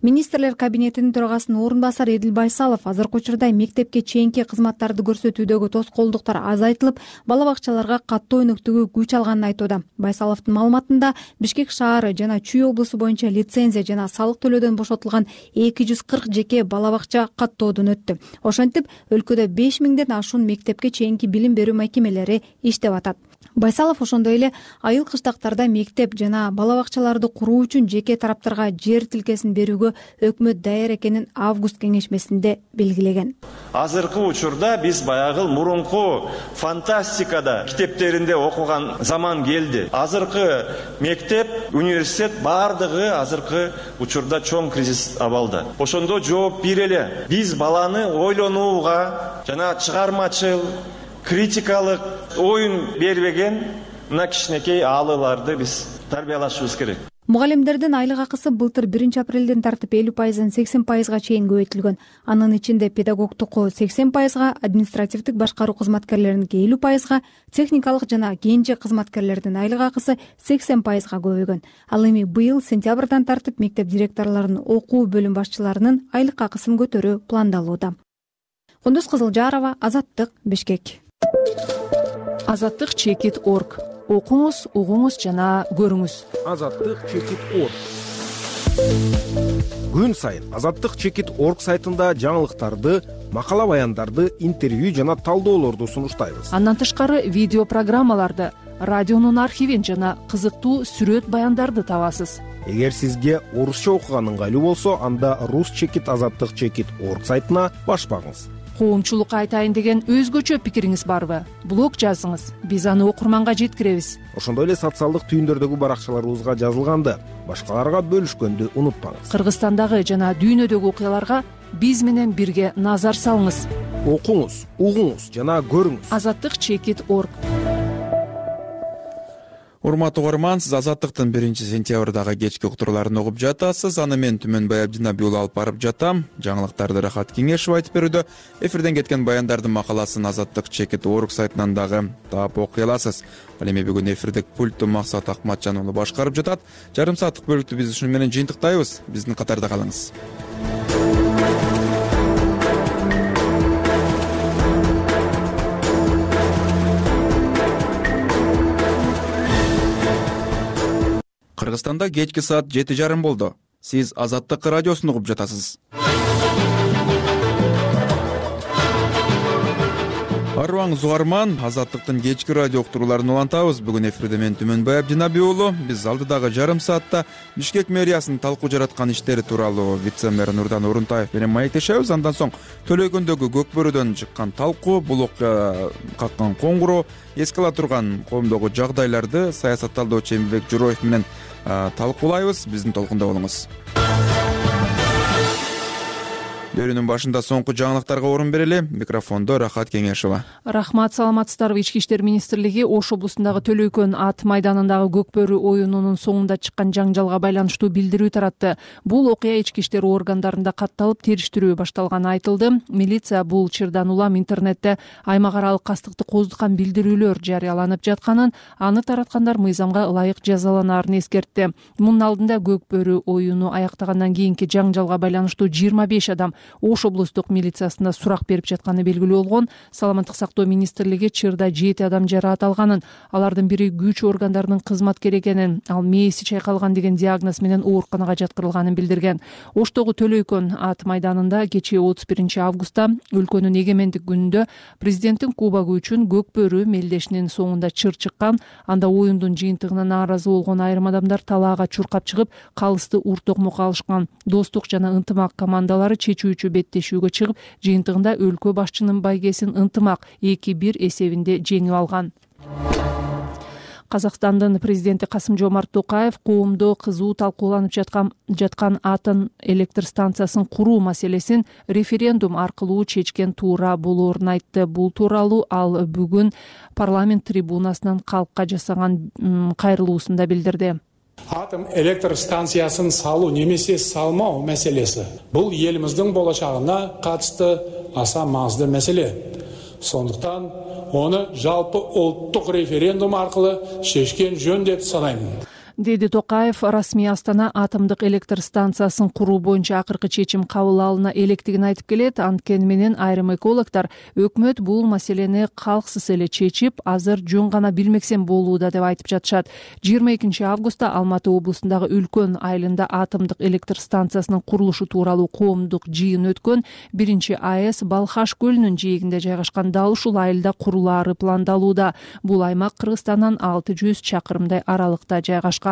Министрлер кабинетинин төрагасынын орун басары Эдил Байсалов азыркы учурда мектепке чейинки кызматтарды көрсөтүүдөгү тоскоолдуктар азайтылып, бала бакчаларга каттоо өнүктүгү күч алганын айтууда. Байсаловдун маалыматында Бишкек шаары жана Чүй облусу боюнча лицензия жана салык төлөөдөн бошотулган эки жүз кырк жеке бала бакча каттоодон өттү. Ошентип, өлкөдө беш миңден ашуун мектепке чейинки билим берүү мекемелери иштеп атат. Байсалов ошондой эле айыл кыштактарда мектеп жана бала бакчаларды куруу үчүн жеке тараптарга жер тилкесин берүүгө өкмөт даяр экенин август кеңешмесинде белгилеген. Азыркы учурда биз баягы мурунку фантастикада китептеринде окуган заман келди. Азыркы мектеп, университет бардыгы азыркы учурда чоң кризис абалда. Ошондо жооп берели. Биз баланы ойлонууга жана чыгармачыл, критикалык оюн бербеген мына кичинекей аалыларды биз тарбиялашыбыз керек. Мугалимдердин айлык акысы былтыр биринчи апрелден тартып элүү пайыздан сексен пайызга чейин көбөйтүлгөн. Анын ичинде педагогтуку сексен пайызга, административдик башкаруу кызматкерлериники элүү пайызга, техникалык жана кенже кызматкерлердин айлык акысы сексен пайызга көбөйгөн. Ал эми быйыл сентябрдан тартып мектеп директорлорунун, окуу бөлүм башчыларынын айлык акысын көтөрүү пландалууда. Кундуз Кызылжарова, Азаттык, Бишкек. Азаттык чекит точка орг. Окуңуз, угуңуз жана көрүңүз. Азаттык чекит точка орг. Күн сайын Азаттык чекит точка орг сайтында жаңылыктарды, макала баяндарды, интервью жана талдоолорду сунуштайбыз. Андан тышкары видео программаларды, радионун архивин жана кызыктуу сүрөт баяндарды табасыз. Эгер сизге орусча окуган ыңгайлуу болсо, анда рус чекит азаттык чекит точка орг сайтына башпаңыз. Коомчулукка айтайын деген өзгөчө пикириңиз барбы? Блог жазыңыз, биз аны окурманга жеткиребиз. Ошондой эле социалдык түйүндөрдөгү баракчаларыбызга жазылганды башкаларга бөлүшкөндү унутпаңыз. Кыргызстандагы жана дүйнөдөгү окуяларга биз менен бирге назар салыңыз. Окуңуз, угуңуз жана көрүңүз. Азаттык чекит точка орг. Урматтуу угарман, сиз Азаттыктын биринчи сентябрдагы кечки уктурууларын угуп жатасыз. Аны мен Түмөнбай Абдинабий уулу алып барып жатам. Жаңылыктарды Рахат Кеңешов айтып берүүдө. Эфирден кеткен баяндардын макаласын Азаттык чекит орг сайтынан дагы таап окуй аласыз. Ал эми бүгүн эфирдик пультту Максат Акматжан уулу башкарып жатат. Жарым сааттык бөлүктү биз ушуну менен жыйынтыктайбыз. Биздин катарда калыңыз. Кыргызстанда кечки саат жети жарым болду. Сиз Азаттык радиосун угуп жатасыз. Арыбаңыз угарман, Азаттыктын кечки радио уктурууларын улантабыз. Бүгүн эфирде мен Түмөнбай Абдинабий уулу. Биз алдыдагы жарым саатта Бишкек мэриясынын талкуу жараткан иштери тууралуу вице-мэр Нурдан Орунтаев менен маектешебиз. Андан соң Төлөйкөндөгү Көкбөрүдөн чыккан талкуу, бул окуя каккан коңгуроо, эске ала турган коомдогу жагдайларды саясатталдоочу Эмилбек Журоев менен талкуулайбыз. Биздин толкунда болуңуз. Берүүнүн башында соңку жаңылыктарга орун берели. Микрофондо Рахат Кеңешова. Рахмат, саламатсыздарбы. Ички иштер министрлиги Ош облусундагы Төлөйкөн ат майданындагы Көкбөрү оюнунун соңунда чыккан жаңжалга байланыштуу билдирүү таратты. Бул окуя ички иштер органдарында катталып, териштирүү башталганы айтылды. Милиция бул чырдан улам интернетте аймак аралык кастыкты кооздукан билдирүүлөр жарыяланып жатканын, аны тараткандар мыйзамга ылайык жазаланаарын эскертти. Мунун алдында Көкбөрү оюну аяктагандан кийинки жаңжалга байланыштуу жыйырма беш адам Ош облустук милициясында сурак берип жатканы белгилүү болгон. Саламаттык сактоо министрлиги чырда жети адам жараат алганын, алардын бири күч органдарынын кызматкери экенин, ал мээси чайкалган деген диагноз менен ооруканага жаткырылганын билдирген. Оштогу Төлөйкөн ат майданында кечээ отуз биринчи августта өлкөнүн эгемендик күнүндө президенттин кубогу үчүн Көкбөрү мелдешинин соңунда чыр чыккан. Анда оюндун жыйынтыгына нааразы болгон айрым адамдар талаага чуркап чыгып, калысты ур токмокко алышкан. Достук жана ынтымак командалары чечүү беттешүүгө чыгып, жыйынтыгында өлкө башчынын байгесин ынтымак эки бир эсебинде жеңип алган. Казакстандын президенти Касым-Жомарт Токаев коомдо кызуу талкууланып жаткан жаткан атом электр станциясын куруу маселесин референдум аркылуу чечкен туура болоорун айтты. Бул тууралуу ал бүгүн парламент трибунасынан калкка жасаган кайрылуусунда билдирди. Атом электр станциясын салуу немесе салмоо маселеси бул элибиздин болочагына катысты аса маңыздуу маселе. Сондуктан оны жалпы улуттук референдум аркылуу чечкен жөн деп санайм, деди Токаев. Расмий Астана атомдук электр станциясын куруу боюнча акыркы чечим кабыл алына электигин айтып келет. Анткени менен айрым экологдор өкмөт бул маселени калксыз эле чечип, азыр жөн гана билмексен болууда деп айтып жатышат. жыйырма экинчи августта Алматы облусундагы Үлкөн айылында атомдук электр станциясынын курулушу тууралуу коомдук жыйын өткөн. Биринчи АЭС Балхаш көлүнүн жээгинде жайгашкан дал ушул айылда курулаары пландалууда. Бул аймак Кыргызстандан алты жүз чакырымдай аралыкта жайгашкан.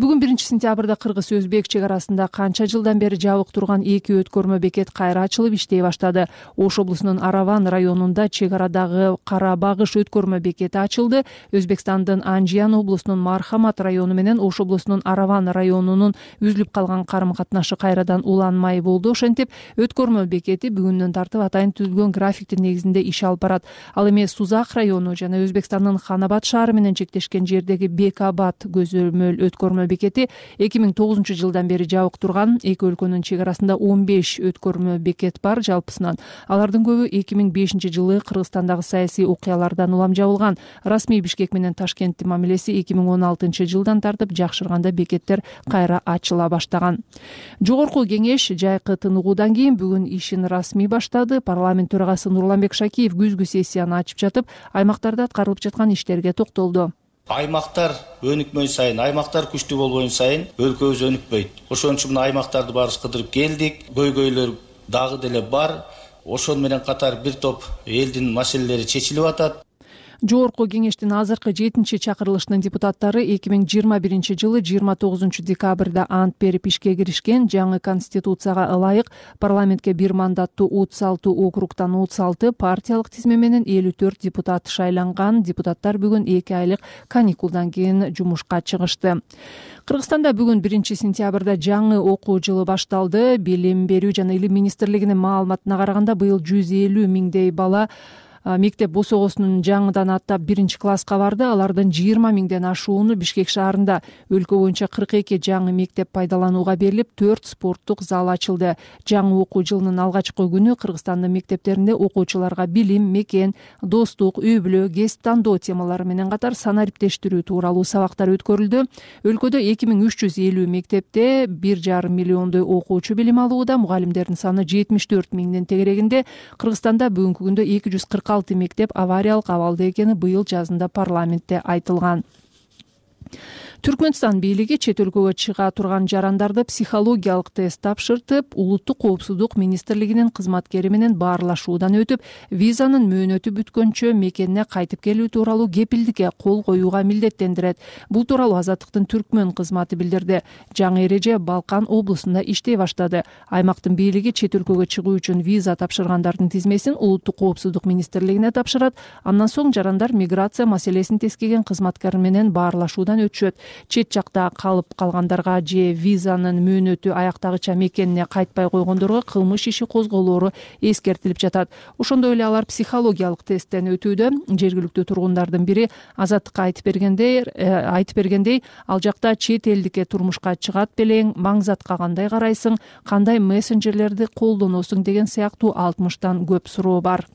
Бүгүн биринчи сентябрда кыргыз-өзбек чек арасында канча жылдан бери жабык турган эки өткөрмө бекет кайра ачылып иштей баштады. Ош облусунун Араван районунда чек арадагы Кара Багыш өткөрмө бекети ачылды. Өзбекстандын Анжиян облусунун Мархамат району менен Ош облусунун Араван районунун үзүлүп калган карым катнашы кайрадан уланмай болду. Ошентип, өткөрмө бекети бүгүндөн тартып атайын түзүлгөн графиктин негизинде иш алып барат. Ал эми Сузак району жана Өзбекстандын Ханабад шаары менен чектешкен жердеги Бекабад көзөмөл өткөрмө бекети эки миң тогузунчу жылдан бери жабык турган. Эки өлкөнүн чек арасында он беш өткөрмө бекет бар жалпысынан. Алардын көбү эки миң бешинчи жылы Кыргызстандагы саясий окуялардан улам жабылган. Расмий Бишкек менен Ташкенттин мамилеси эки миң он алтынчы жылдан тартып жакшырганда бекеттер кайра ачыла баштаган. Жогорку кеңеш жайкы тыныгуудан кийин бүгүн ишин расмий баштады. Парламент төрагасы Нурланбек Шакиев күзгү сессияны ачып жатып, аймактарда аткарылып жаткан иштерге токтолду. Аймактар өнүкмөй сайын, аймактар күчтүү болбойн сайын өлкөбүз өнүкпөйт. Ошон үчүн мына аймактарды баарыбыз кыдырып келдик. Көйгөйлөр дагы деле бар. Ошон менен катар бир топ элдин маселелери чечилип атат. Жогорку кеңештин азыркы жетинчи чакырылышынын депутаттары эки миң жыйырма биринчи жылы жыйырма тогузунчу декабрда ант берип ишке киришкен. Жаңы конституцияга ылайык парламентке бир мандаттуу отуз алты округтан отуз алты, партиялык тизме менен элүү төрт депутат шайланган. Депутаттар бүгүн эки айлык каникулдан кийин жумушка чыгышты. Кыргызстанда бүгүн биринчи сентябрда жаңы окуу жылы башталды. Билим берүү жана илим министрлигинин маалыматына караганда быйыл жүз элүү миңдей бала мектеп босогосунун жаңыдан аттап биринчи класска барды. Алардын жыйырма миңден ашууну Бишкек шаарында. Өлкө боюнча кырк эки жаңы мектеп пайдаланууга берилип, төрт спорттук зал ачылды. Жаңы окуу жылынын алгачкы күнү Кыргызстандын мектептеринде окуучуларга билим, мекен, достук, үй бүлө, кесип тандоо темалары менен катар санариптештирүү тууралуу сабактар өткөрүлдү. Өлкөдө эки миң үч жүз элүү мектепте бир жарым миллиондой окуучу билим алууда. Мугалимдердин саны жетимиш төрт миңдин тегерегинде. Кыргызстанда бүгүнкү күндө эки жүз кырк алты мектеп авариялык абалда экени быйыл жазында парламентте айтылган. Түркмөнстан бийлиги чет өлкөгө чыга турган жарандарды психологиялык тест тапшыртып, улуттук коопсуздук министрлигинин кызматкери менен баарлашуудан өтүп, визанын мөөнөтү бүткөнчө мекенине кайтып келүү тууралуу кепилдикке кол коюуга милдеттендирет. Бул тууралуу Азаттыктын түркмөн кызматы билдирди. Жаңы эреже Балкан облусунда иштей баштады. Аймактын бийлиги чет өлкөгө чыгуу үчүн виза тапшыргандардын тизмесин улуттук коопсуздук министрлигине тапшырат. Андан соң жарандар миграция маселесин тескеген кызматкер менен баарлашуудан өтүшөт. Чет жакта калып калгандарга же визанын мөөнөтү аяктагыча мекенине кайтпай койгондорго кылмыш иши козголоору эскертилип жатат. Ошондой эле алар психологиялык тесттен өтүүдө. Жергиликтүү тургундардын бири Азаттыкка айтып бергендей, айтып бергендей, ал жакта чет элдикке турмушка чыгат белең, маңзатка кандай карайсың, кандай мессенджерлерди колдоносуң деген сыяктуу алтымыштан көп суроо бар.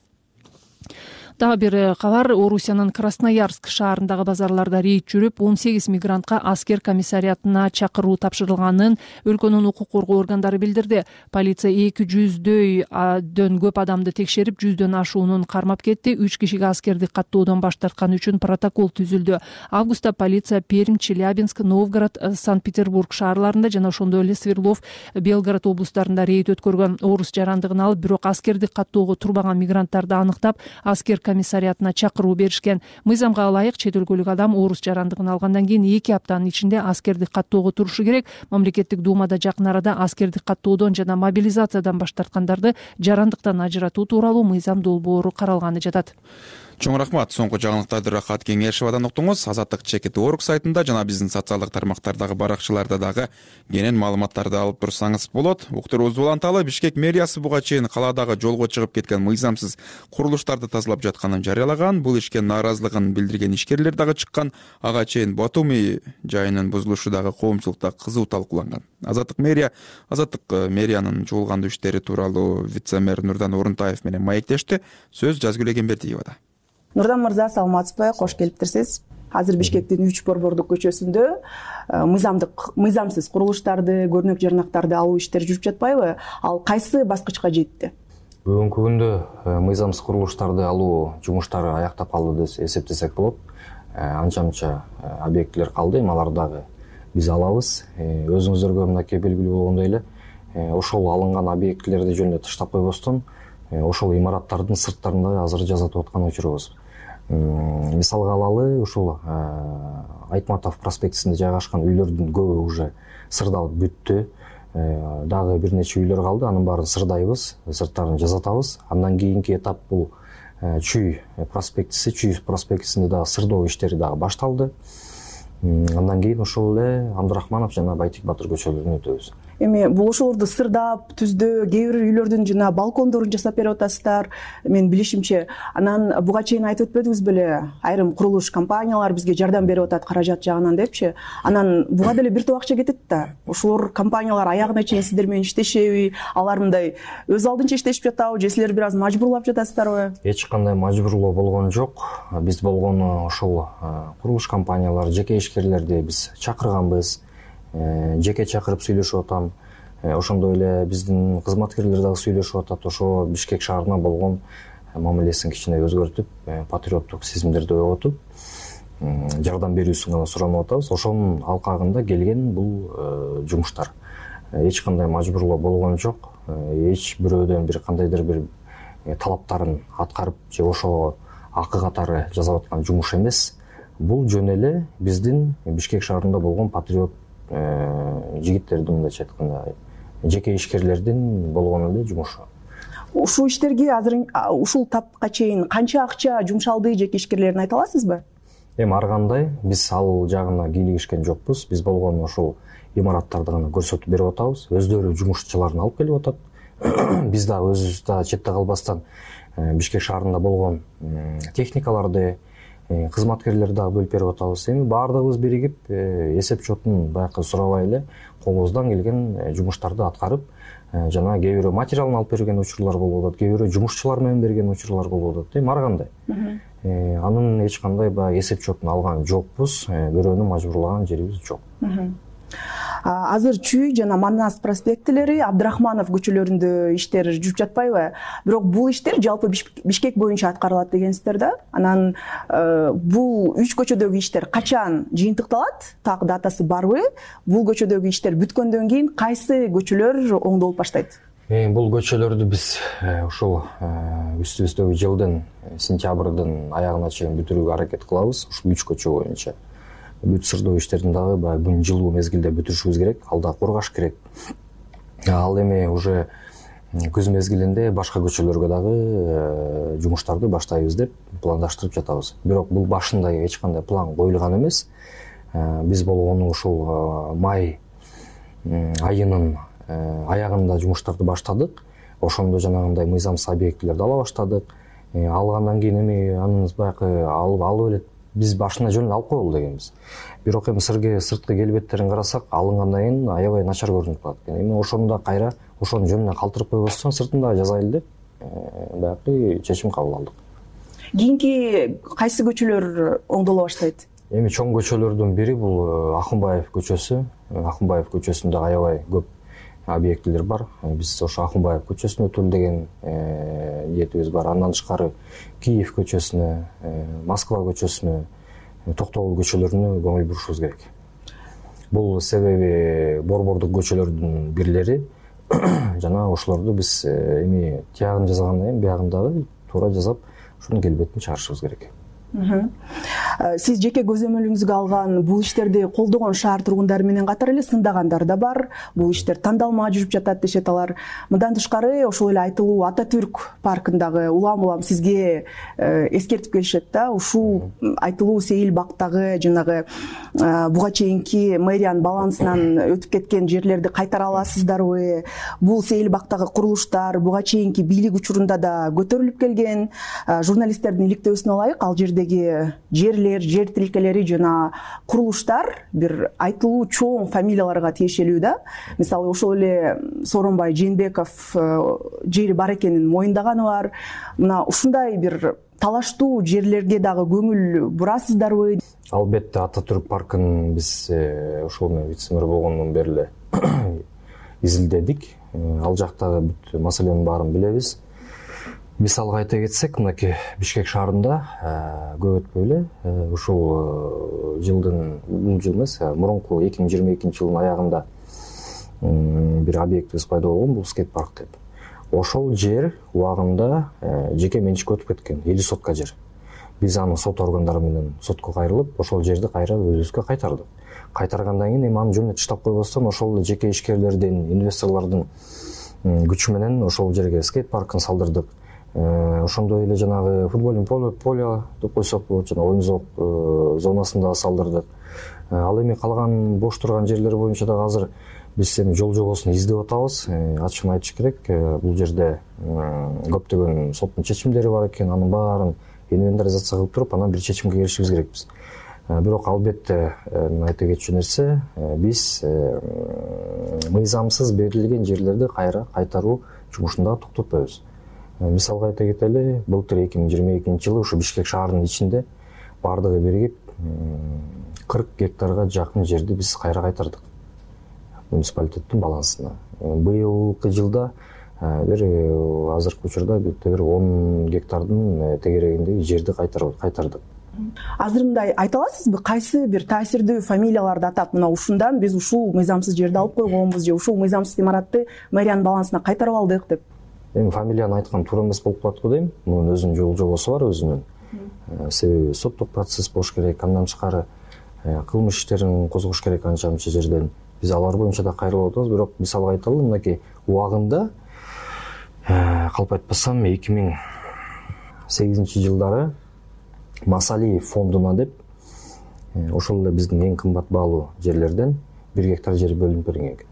Дагы бир кабар, Орусиянын Красноярск шаарындагы базарларда рейд жүрүп, он сегиз мигрантка аскер комиссариатына чакыруу тапшырылганын өлкөнүн укук коргоо органдары билдирди. Полиция эки жүздөн көп адамды текшерип, жүздөн ашуунун кармап кетти. үч кишиге аскерди каттоодон баш тартканы үчүн протокол түзүлдү. Августта полиция Пермь, Челябинск, Новгород, Санкт-Петербург шаарларында жана ошондой эле Свердлов, Белгород облустарында рейд өткөргөн. Орус жарандыгын алып, бирок аскерди каттоого турбаган мигранттарды аныктап, аскер комиссариатына чакыруу беришкен. Мыйзамга ылайык чет өлкөлүк адам орус жарандыгын алгандан кийин эки аптанын ичинде аскерди каттоого турушу керек. Мамлекеттик думада жакын арада аскерди каттоодон жана мобилизациядан баш тарткандарды жарандыктан ажыратуу тууралуу мыйзам долбоору каралганы жатат. Чоң рахмат. Соңку жаңылыктарды Рахат Кеңешевадан уктуңуз. Азаттык чекит орг сайтында жана биздин социалдык тармактардагы баракчаларда дагы кенен маалыматтарды алып турсаңыз болот. Уктуруубузду уланталы. Бишкек мэриясы буга чейин калаадагы жолго чыгып кеткен мыйзамсыз курулуштарды тазалап жатканын жарыялаган. Бул ишке нааразылыгын билдирген ишкерлер дагы чыккан. Ага чейин Батуми жайынын бузулушу дагы коомчулукта кызуу талкууланган. Азаттык мэрия Азаттык мэриянын жугулгандуу иштери тууралуу вице-мэр Нурдан Орунтаев менен маектешти. Сөз Жазгүл Эгембердиевада. Нурдан мырза, саламатсызбы? Кош келиптирсиз. Азыр Бишкектин үч Борбордук көчөсүндө мыйзамдык мыйзамсыз курулуштарды, көрнөк жарнактарды алуу иштери жүрүп жатпайбы? Ал кайсы баскычка жетти? Бүгүнкү күндө мыйзамсыз курулуштарды алуу жумуштары аяктап калды деп эсептесек болот. Анча мынча объектилер калды, аларды дагы биз алабыз. Өзүңүздөргө мынакей белгилүү болгондой эле, ошол алынган объектилерди жөнүндө таштап койбостон, ошол имараттардын сырттарында азыр жасатып аткан учурубуз. Мисалга алалы, ушул Айтматов проспектисинде жайгашкан үйлөрдүн көбү уже сырдалып бүттү. Дагы бир нече үйлөр калды, анын баарын сырдайбыз, сырттарын жасатабыз. Андан кийинки этап бул Чүй проспектиси, Чүй проспектисинде дагы сырдоо иштери дагы башталды. Андан кийин ошол эле Абдурахманов жана Байтик Батыр көчөлөрүнө өтөбүз. Эми бул ошолорду сырдап, түздөө, кээ бир үйлөрдүн жана балкондорун жасап берип атасыздар. Мен билишимче, анан буга чейин айтып өтпөдүңүз беле, айрым курулуш компаниялар бизге жардам берип атат каражат жагынан депчи. Анан буга деле бир топ акча кетет да. Ошолор компаниялар аягына чейин сиздер менен иштешеби? Алар мындай өз алдынча иштешип жатабы же силер бир аз мажбурлап жатасыздарбы? Эч кандай мажбурлоо болгон жок. Биз болгону ошол курулуш компаниялар, жеке ишкерлерди биз чакырганбыз. Жеке чакырып сүйлөшүп атам. Ошондой эле биздин кызматкерлер дагы сүйлөшүп атат. Ошо Бишкек шаарына болгон мамилесин кичине өзгөртүп, патриоттук сезимдерди ойготуп, жардам берүүсүн гана суранып атабыз. Ошонун алкагында келген бул жумуштар. Эч кандай мажбурлоо болгон жок. Эч бирөөдөн бир кандайдыр бир талаптарын аткарып же ошого акы катары жасап аткан жумуш эмес. Бул жөн эле биздин Бишкек шаарында болгон патриот жигиттердин, мындайча айтканда, жеке ишкерлердин болгон эле жумушу. Ушул иштерге азыр ушул тапка чейин канча акча жумшалды жеке ишкерлерин айта аласызбы? Эми ар кандай биз ал жагына кийлигишкен жокпуз. Биз болгон ошол имараттарды гана көрсөтүп берип атабыз. Өздөрү жумушчуларын алып келип атат. Биз дагы өзүбүз дагы четте калбастан Бишкек шаарында болгон техникаларды, кызматкерлерди дагы бөлүп берип атабыз. Эми баардыгыбыз биригип эсеп чотун баягы сурабай эле колубуздан келген жумуштарды аткарып, жана кээ бирөө материалын алып берген учурлар болуп атат, кээ бирөө жумушчулар менен берген учурлар болуп атат. Эми ар кандай. Анын эч кандай баягы эсеп чотун алган жокпуз, бирөөнү мажбурлаган жерибиз жок. Азыр Чүй жана Манас проспектилери, Абдрахманов көчөлөрүндө иштер жүрүп жатпайбы? Бирок бул иштер жалпы Бишкек боюнча аткарылат дегенсиздер да. Анан бул үч көчөдөгү иштер качан жыйынтыкталат? Так датасы барбы? Бул көчөдөгү иштер бүткөндөн кийин кайсы көчөлөр оңдолуп баштайт? Бул көчөлөрдү биз ушул үстүбүздөгү жылдын сентябрдын аягына чейин бүтүрүүгө аракет кылабыз. Ушул үч көчө боюнча. Бүт сырдоо иштерин дагы баягы бүгүн жылуу мезгилде бүтүрүшүбүз керек, алда кургаш керек. Ал эми уже күз мезгилинде башка көчөлөргө дагы жумуштарды баштайбыз деп пландаштырып жатабыз. Бирок бул башында эч кандай план коюлган эмес. Биз болгону ушул май айынын аягында жумуштарды баштадык. Ошондо жанагындай мыйзамсыз объектилерди ала баштадык. Алгандан кийин эми анын баягы алып алып эле биз башына жөн алып коелу дегенбиз. Бирок эми сырткы келбеттерин карасак, алынгандан кийин аябай начар көрүнүп калат экен. Эми ошондо кайра ошонун жөнүнө калтырып койбостон сыртын дагы жазайлы деп баягы чечим кабыл алдык. Кийинки кайсы көчөлөр оңдоло баштайт? Эми чоң көчөлөрдүн бири бул Акынбаев көчөсү. Акынбаев көчөсүндө аябай көп объектилер бар. Биз ошо Акынбаев көчөсүнө өтөлү деген ниетибиз бар. Андан тышкары Киев көчөсүнө, Москва көчөсүнө, Токтогул көчөлөрүнө көңүл бурушубуз керек. Бул себеби борбордук көчөлөрдүн бирлери жана ошолорду биз эми тиягын жасагандан кийин биягын дагы туура жасап, ошонун келбетин чыгарышыбыз керек. Сиз жеке көзөмөлүңүзгө алган бул иштерди колдогон шаар тургундары менен катар эле сындагандар да бар. Бул иштер тандалма жүрүп жатат дешет алар. Мындан тышкары ошол эле айтылуу Ататүрк паркындагы улам-улам сизге эскертип келишет да. Ушул айтылуу Сейил бактагы жанагы буга чейинки мэриянын балансынан өтүп кеткен жерлерди кайтара аласыздарбы? Бул Сейил бактагы курулуштар буга чейинки бийлик учурунда да көтөрүлүп келген. Журналисттердин иликтөөсүнө ылайык, ал жердеги жерлер, жер тилкелери жана курулуштар бир айтылуу чоң фамилияларга тиешелүү да. Мисалы ошол эле Сооронбай Жээнбеков жери бар экенин моюндаганы бар. Мына ушундай бир талаштуу жерлерге дагы көңүл бурасыздарбы? Албетте Ататүрк паркын биз ошол менен вице-мэр болгондон бери эле изилдедик. Ал жактагы бүт маселенин баарын билебиз. Мисалга айта кетсек, мынакей Бишкек шаарында көп өтпөй эле ушул жылдын бул жыл эмес, мурунку эки миң жыйырма экинчи жылдын аягында бир объектибиз пайда болгон, бул скейт парк деп. Ошол жер убагында жеке менчикке өтүп кеткен, элүү сотка жер. Биз аны сот органдары менен сотко кайрылып, ошол жерди кайра өзүбүзгө кайтардык. Кайтаргандан кийин эми аны жөнүнө таштап койбостон ошол жеке ишкерлердин, инвесторлордун күчү менен ошол жерге скейт паркын салдырдык. Ошондой эле жанагы футбольный поле деп койсок болот, жана оюн зонасын да салдырдык. Ал эми калган бош турган жерлер боюнча дагы азыр биз эми жол жобосун издеп атабыз. Ачыгын айтыш керек, бул жерде көптөгөн соттун чечимдери бар экен, анын баарын инвентаризация кылып туруп, анан бир чечимге келишибиз керекпиз. Бирок албетте айта кетчү нерсе, биз мыйзамсыз берилген жерлерди кайра кайтаруу жумушун дагы токтотпойбуз. Мисалга айта кетели, былтыр эки миң жыйырма экинчи жылы ушу Бишкек шаарынын ичинде бардыгы биригип кырк гектарга жакын жерди биз кайра кайтардык муниципалитеттин балансына. Быйылкы жылда бир азыркы учурда бир он гектардын тегерегиндеги жерди кайтардык. Азыр мындай айта аласызбы, кайсы бир таасирдүү фамилияларды атап, мына ушундан биз ушул мыйзамсыз жерди алып койгонбуз же ушул мыйзамсыз имаратты мэриянын балансына кайтарып алдык деп? Эми фамилияны айткан туура эмес болуп калат го дейм. Мунун өзүнүн жол жобосу бар өзүнүн. Себеби соттук процесс болуш керек, андан тышкары кылмыш иштерин козгош керек анча мынча жерден. Биз алар боюнча да кайрылып атабыз, бирок мисалга айталы, мынакей убагында калп айтпасам эки миң сегизинчи жылдары Масалиев фондуна деп ошол эле биздин эң кымбат баалуу жерлерден бир гектар жер бөлүнүп берилген экен.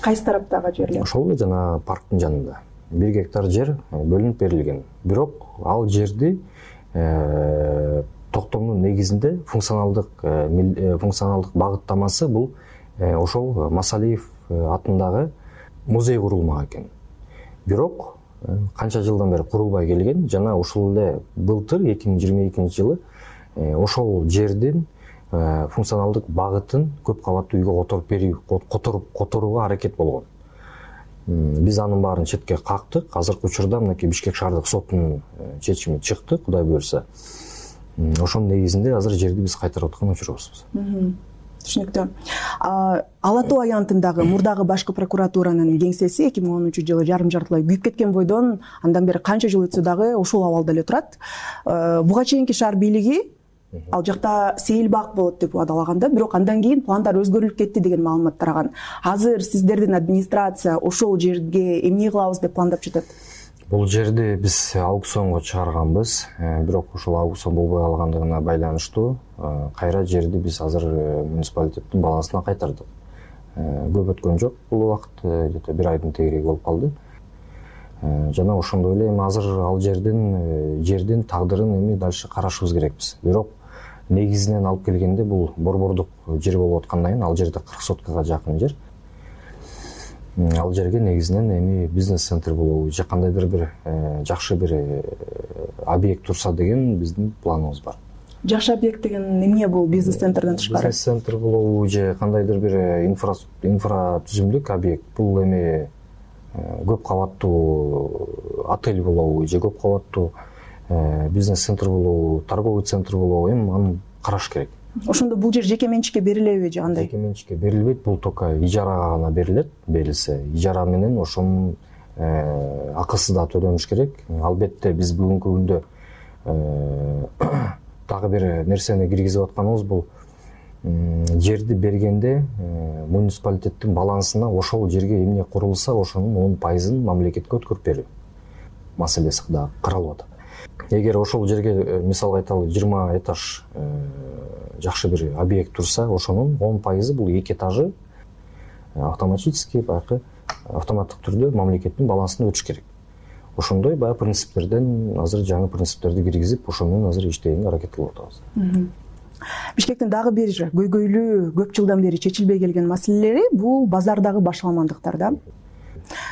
Кайсы тараптагы жерлер? Ошол эле жана парктын жанында. бир гектар жер бөлүнүп берилген. Бирок ал жерди токтомдун негизинде функционалдык функционалдык багыттамасы бул ошол Масалиев атындагы музей курулмак экен. Бирок канча жылдан бери курулбай келген жана ушул эле былтыр эки миң жыйырма экинчи жылы ошол жердин функционалдык багытын көп кабаттуу үйгө которуп берүү которуп которууга аракет болгон. Биз анын баарын четке кактык. Азыркы учурда мынакей Бишкек шаардык сотунун чечими чыкты, Кудай буюрса. Ошонун негизинде азыр жерди биз кайтарып аткан учурубуз. Түшүнүктүү. Ала Тоо аянтындагы мурдагы башкы прокуратуранын кеңсеси эки миң онунчу жылы жарым жартылай күйүп кеткен бойдон андан бери канча жыл өтсө дагы ушул абалда эле турат. Буга чейинки шаар бийлиги ал жакта сейил бак болот деп убадалаганда, бирок андан кийин пландар өзгөрүлүп кетти деген маалымат тараган. Азыр сиздердин администрация ошол жерге эмне кылабыз деп пландап жатат? Бул жерди биз аукционго чыгарганбыз, бирок ошол аукцион болбой калгандыгына байланыштуу кайра жерди биз азыр муниципалитеттин балансына кайтардык. Көп өткөн жок бул убакыт, где-то бир айдын тегереги болуп калды. Жана ошондой эле эми азыр ал жердин жердин тагдырын эми дальше карашыбыз керекпиз. Бирок негизинен алып келгенде бул борбордук жер болуп аткандан кийин ал жерде кырк соткага жакын жер. Ал жерге негизинен эми бизнес-центр болобу же кандайдыр бир жакшы бир объект турса деген биздин планыбыз бар. Жакшы объект деген эмне бул бизнес-центрден тышкары? Бизнес-центр болобу же кандайдыр бир инфра инфра түзүмдүк объект. Бул эми көп кабаттуу отель болобу же көп кабаттуу бизнес-центр болобу, торговый центр болобу, эми аны караш керек. Ошондо бул жер жеке менчикке берилеби же кандай? Жеке менчикке берилбейт, бул только ижарага гана берилет. Берилсе, ижара менен ошонун акысы да төлөнүш керек. Албетте биз бүгүнкү күндө дагы бир нерсени киргизип атканыбыз бул жерди бергенде муниципалитеттин балансына ошол жерге эмне курулса, ошонун он пайызын мамлекетке өткөрүп берүү маселеси да каралып атат. Эгер ошол жерге мисалга айталы жыйырма этаж жакшы бир объект турса, ошонун он пайызы бул эки этажы автоматически баягы автоматтык түрдө мамлекеттин балансына өтүш керек. Ошондой баягы принциптерден азыр жаңы принциптерди киргизип, ошо менен азыр иштегенге аракет кылып атабыз. Бишкектин дагы бир көйгөйлүү көп жылдан бери чечилбей келген маселелери бул базардагы башаламандыктар да.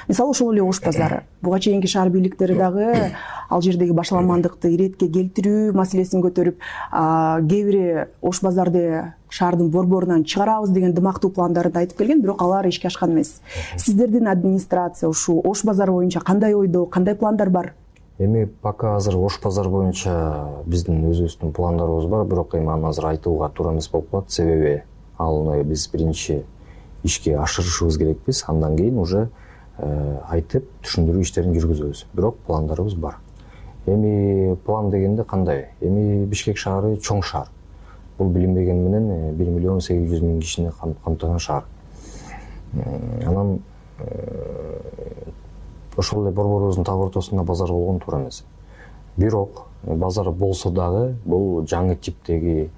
Мисалы ошол эле Ош базары. Буга чейинки шаар бийликтери дагы ал жердеги башаламандыкты иретке келтирүү маселесин көтөрүп, кээ бири Ош базарды шаардын борборунан чыгарабыз деген дымактуу пландарды айтып келген, бирок алар ишке ашкан эмес. Сиздердин администрация ушул Ош базары боюнча кандай ойдо, кандай пландар бар? Эми пока азыр Ош базар боюнча биздин өзүбүздүн пландарыбыз бар, бирок эми аны азыр айтууга туура эмес болуп калат. Себеби аны биз биринчи ишке ашырышыбыз керекпиз, андан кийин уже айтып түшүндүрүү иштерин жүргүзөбүз. Бирок пландарыбыз бар. Эми план дегенде кандай? Эми Бишкек шаары чоң шаар. Бул билинбеген менен бир миллион сегиз жүз миң кишини камтыган шаар. Анан ошол эле борборубуздун так ортосунда базар болгон туура эмес. Бирок базар болсо дагы бул жаңы типтеги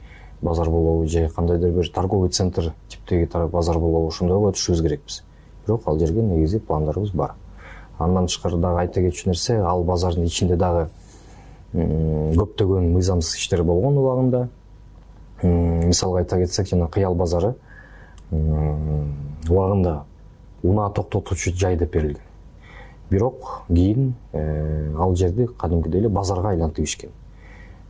базар болобу же кандайдыр бир торговый центр типтеги базар болобу, ошондойго өтүшүбүз керекпиз. Бирок ал жерге негизи пландарыбыз бар. Андан тышкары дагы айта кетчү нерсе, ал базардын ичинде дагы көптөгөн мыйзамсыз иштер болгон убагында. Мисалга айта кетсек, жана Кыял базары убагында унаа токтотуучу жай деп берилген. Бирок кийин ал жерди кадимкидей эле базарга айлантып ишкен.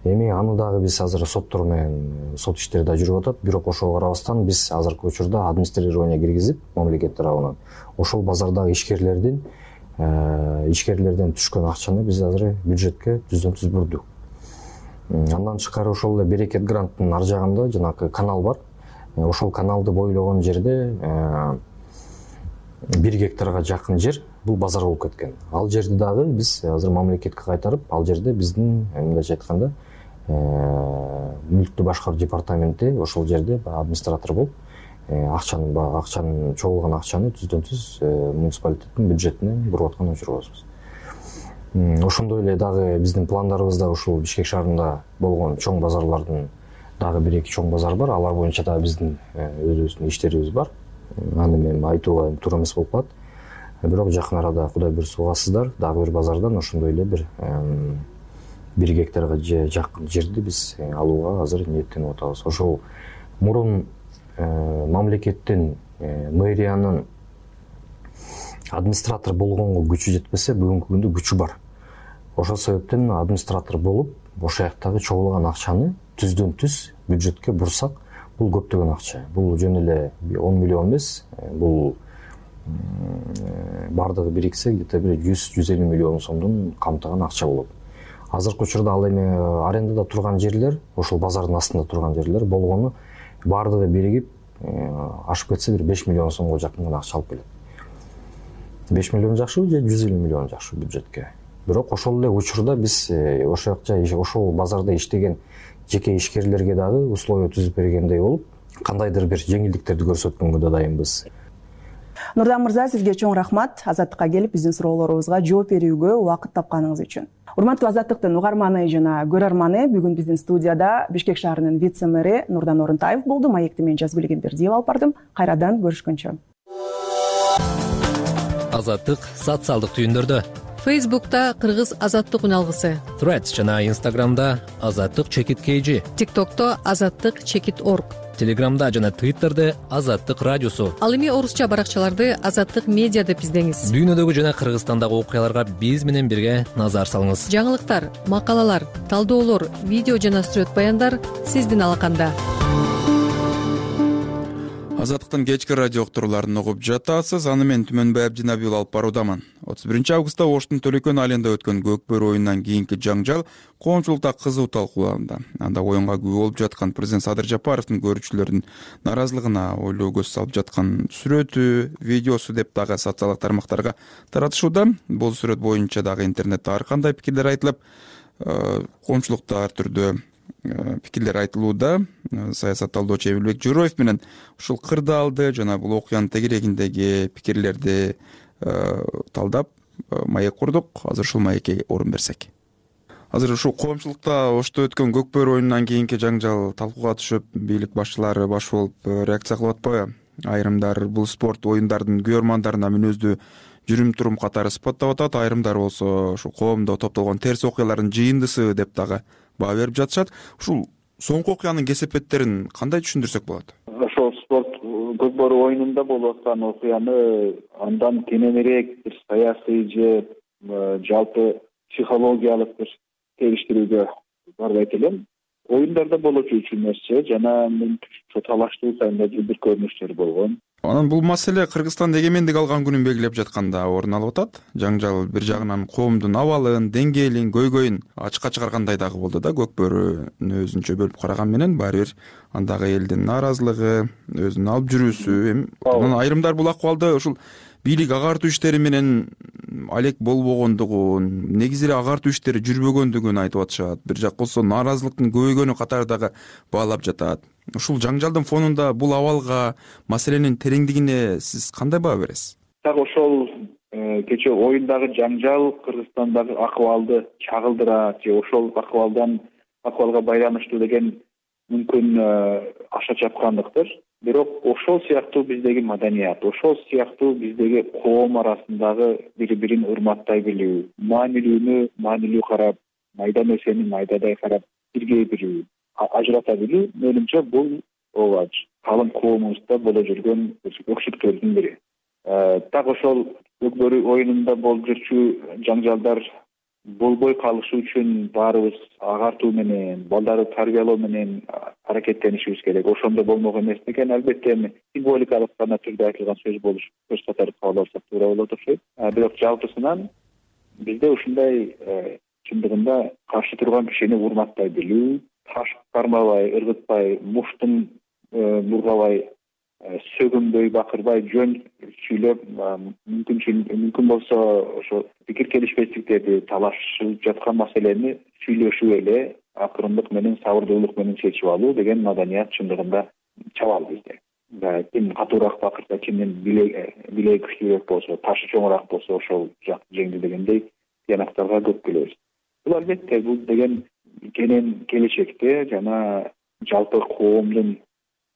Эми аны дагы биз азыр соттор менен сот иштери да жүрүп атат. Бирок ошого карабастан биз азыркы учурда администрирование киргизип, мамлекет тарабынан ошол базардагы ишкерлердин ишкерлерден түшкөн акчаны биз азыр бюджетке түздөн түз бурдук. Андан тышкары ошол эле Берекет гранттын ар жагында жанагы канал бар. Ошол каналды бойлогон жерде бир гектарга жакын жер бул базар болуп кеткен. Ал жерди дагы биз азыр мамлекетке кайтарып, ал жерде биздин мындайча айтканда мүлктү башкаруу департаменти ошол жерде администратор болуп, акчанын акчанын чогулган акчаны түздөн түз муниципалитеттин бюджетине буруп аткан учурубуз. Ошондой эле дагы биздин пландарыбызда ушул Бишкек шаарында болгон чоң базарлардын дагы бир эки чоң базар бар. Алар боюнча да биздин өзүбүздүн иштерибиз бар. Аны мен айтууга туура эмес болуп калат. бирок жакын арада Кудай буйрса угасыздар, дагы бир базардан ошондой эле бир бир гектарга жакын жерди биз алууга азыр ниеттенип атабыз. Ошол мурун мамлекеттин, мэриянын администратор болгонго күчү жетпесе, бүгүнкү күндө күчү бар. Ошол себептен администратор болуп, ошол жактагы чогулган акчаны түздөн түз бюджетке бурсак, бул көптөгөн акча. Бул жөн эле он миллион эмес, бул бардыгы бириксе где-то бир жүз жүз элүү миллион сомдон камтыган акча болот. Азыркы учурда ал эми арендада турган жерлер, ошол базардын астында турган жерлер болгону бардыгы биригип ашып кетсе бир беш миллион сомго жакын гана акча алып келет. беш миллион жакшыбы же жүз элүү миллион жакшыбы бюджетке. Бирок ошол эле учурда биз ошол жакта ошол базарда иштеген жеке ишкерлерге дагы условия түзүп бергендей болуп, кандайдыр бир жеңилдиктерди көрсөткөнгө да дайынбыз. Нурдан мырза, сизге чоң рахмат Азаттыкка келип биздин суроолорубузга жооп берүүгө убакыт тапканыңыз үчүн. Урматтуу Азаттыктын угарманы жана көрөрманы, бүгүн биздин студияда Бишкек шаарынын вице-мэри Нурдан Орунтаев болду. Маекти мен Жазгүл Эгембердиев алып бардым. Кайрадан көрүшкөнчө. Азаттык социалдык түйүндөрдө. Фейсбукта Кыргыз Азаттык үналгысы. Threads жана Instagramда Азаттык чекит kg. TikTokто Азаттык чекит org. Телеграмда жана Twitterде Азаттык радиосу. Ал эми орусча баракчаларды Азаттык медиа деп издеңиз. Дүйнөдөгү жана Кыргызстандагы окуяларга биз менен бирге назар салыңыз. Жаңылыктар, макалалар, талдоолор, видео жана сүрөт баяндар сиздин алаканда. Азаттыктын кечки радио уктурууларын угуп жатасыз. Аны мен Түмөнбай Абдинабиев алып баруудамын. отуз биринчи августта Оштун Төлөкөн айылында өткөн көкбөр оюнунан кийинки жаңжал коомчулукта кызуу талкууланды. Анда оюнга күбө болуп жаткан президент Садыр Жапаровдун көрүүчүлөрдүн наразылыгына ойлоо көз салып жаткан сүрөтү, видеосу деп дагы социалдык тармактарга таратышууда. Бул сүрөт боюнча дагы интернетте ар кандай пикирлер айтылып, коомчулукта ар түрдүү пикирлер айтылууда. Саясат талдоочу Эмилбек Жороев менен ушул кырдаалды жана бул окуянын тегерегиндеги пикирлерди талдап маек курдук. Азыр ушул маекке орун берсек. Азыр ушул коомчулукта Ошто өткөн көкбөр оюнунан кийинки жаңжал талкууга түшүп, бийлик башчылары баш болуп реакция кылып атпайбы? Айрымдар бул спорт оюндардын күйөрмандарына мүнөздүү жүрүм-турум катары сыпаттап атат. Айрымдар болсо ушул коомдо топтолгон терс окуялардын жыйындысы деп дагы баа берип жатышат. Ушул соңку окуянын кесепеттерин кандай түшүндүрсөк болот? Ошол спорт көкбөр оюнунда болуп аткан окуяны андан кененирээк бир саясий же жалпы психологиялык бир териштирүүгө барбайт элем. Оюндарда болочу үч нерсе жана талаштуу сайында бир көрүнүштөр болгон. Анан бул маселе Кыргызстан эгемендик алган күнүн белгилеп жатканда орун алып атат. Жаңжал бир жагынан коомдун абалын, деңгээлин, көйгөйүн ачыкка чыгаргандай дагы болду да. Көкбөрүнү өзүнчө бөлүп караган менен баары бир андагы элдин нааразылыгы, өзүнүн алып жүрүүсү, эми анан айрымдар бул акыбалды ушул бийлик агартуу иштери менен алек болбогондугун, негизи эле агартуу иштери жүрбөгөндүгүн айтып атышат. Бир жак болсо нааразылыктын көбөйгөнү катары дагы баалап жатат. Ушул жаңжалдын фонунда бул абалга, маселенин тереңдигине сиз кандай баа бересиз? Так ошол кечээ оюндагы жаңжал Кыргызстандагы акыбалды чагылдырат же ошол акыбалдан акыбалга байланыштуу деген мүмкүн аша чапкандыктыр. Бирок ошол сыяктуу биздеги маданият, ошол сыяктуу биздеги коом арасындагы бири-бирин урматтай билүү, маанилүүнү маанилүү карап, майда нерсени майдадай карап бирге билүү, ажырата билүү, менимче бул ооба калың коомубузда боло жүргөн өксүктөрдүн бири. Так ошол көкбөр оюнунда болуп жүрчү жаңжалдар болбой калышы үчүн баарыбыз агартуу менен, балдарды тарбиялоо менен аракеттенишибиз керек. Ошондо болмок эмес экен. Албетте эми символикалык гана түрдө айтылган сөз болуш көз катары кабыл алсак туура болот окшойт. Бирок жалпысынан бизде ушундай чындыгында каршы турган кишини урматтай билүү, таш кармабай, ыргытпай, муштун бургабай, сөгүнбөй, бакырбай, жөн сүйлөп, мүмкүн мүмкүн болсо ошо пикир келишпестиктерди, талашып жаткан маселени сүйлөшүп эле акырындык менен, сабырдуулук менен чечип алуу деген маданият чындыгында чабал бизде. Ким катуураак бакырса, кимдин билеги күчтүүрөөк болсо, ташы чоңураак болсо ошол жак жеңди дегендей тыянактарга көп келебиз. Бул албетте бул деген кенен келечекте жана жалпы коомдун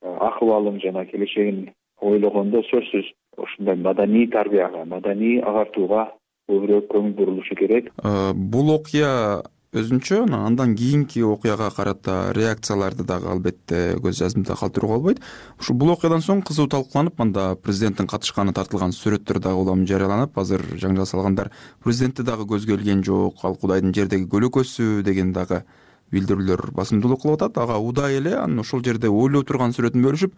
акыбалын жана келечегин ойлогондо сөзсүз ушундай маданий тарбияга, маданий агартууга көбүрөөк көңүл бурулушу керек. Бул окуя өзүнчө андан кийинки окуяга карата реакцияларды дагы албетте көз жазымда калтырууга болбойт. Ушу бул окуядан соң кызуу талкууланып, анда президенттин катышканы тартылган сүрөттөр дагы улам жарыяланып, азыр жаңжал салгандар президентти дагы көзгө илген жок, ал Кудайдын жердеги көлөкөсү деген дагы билдирүүлөр басымдуулук кылып атат. Ага удай эле анын ошол жерде ойлоп турган сүрөтүн бөлүшүп,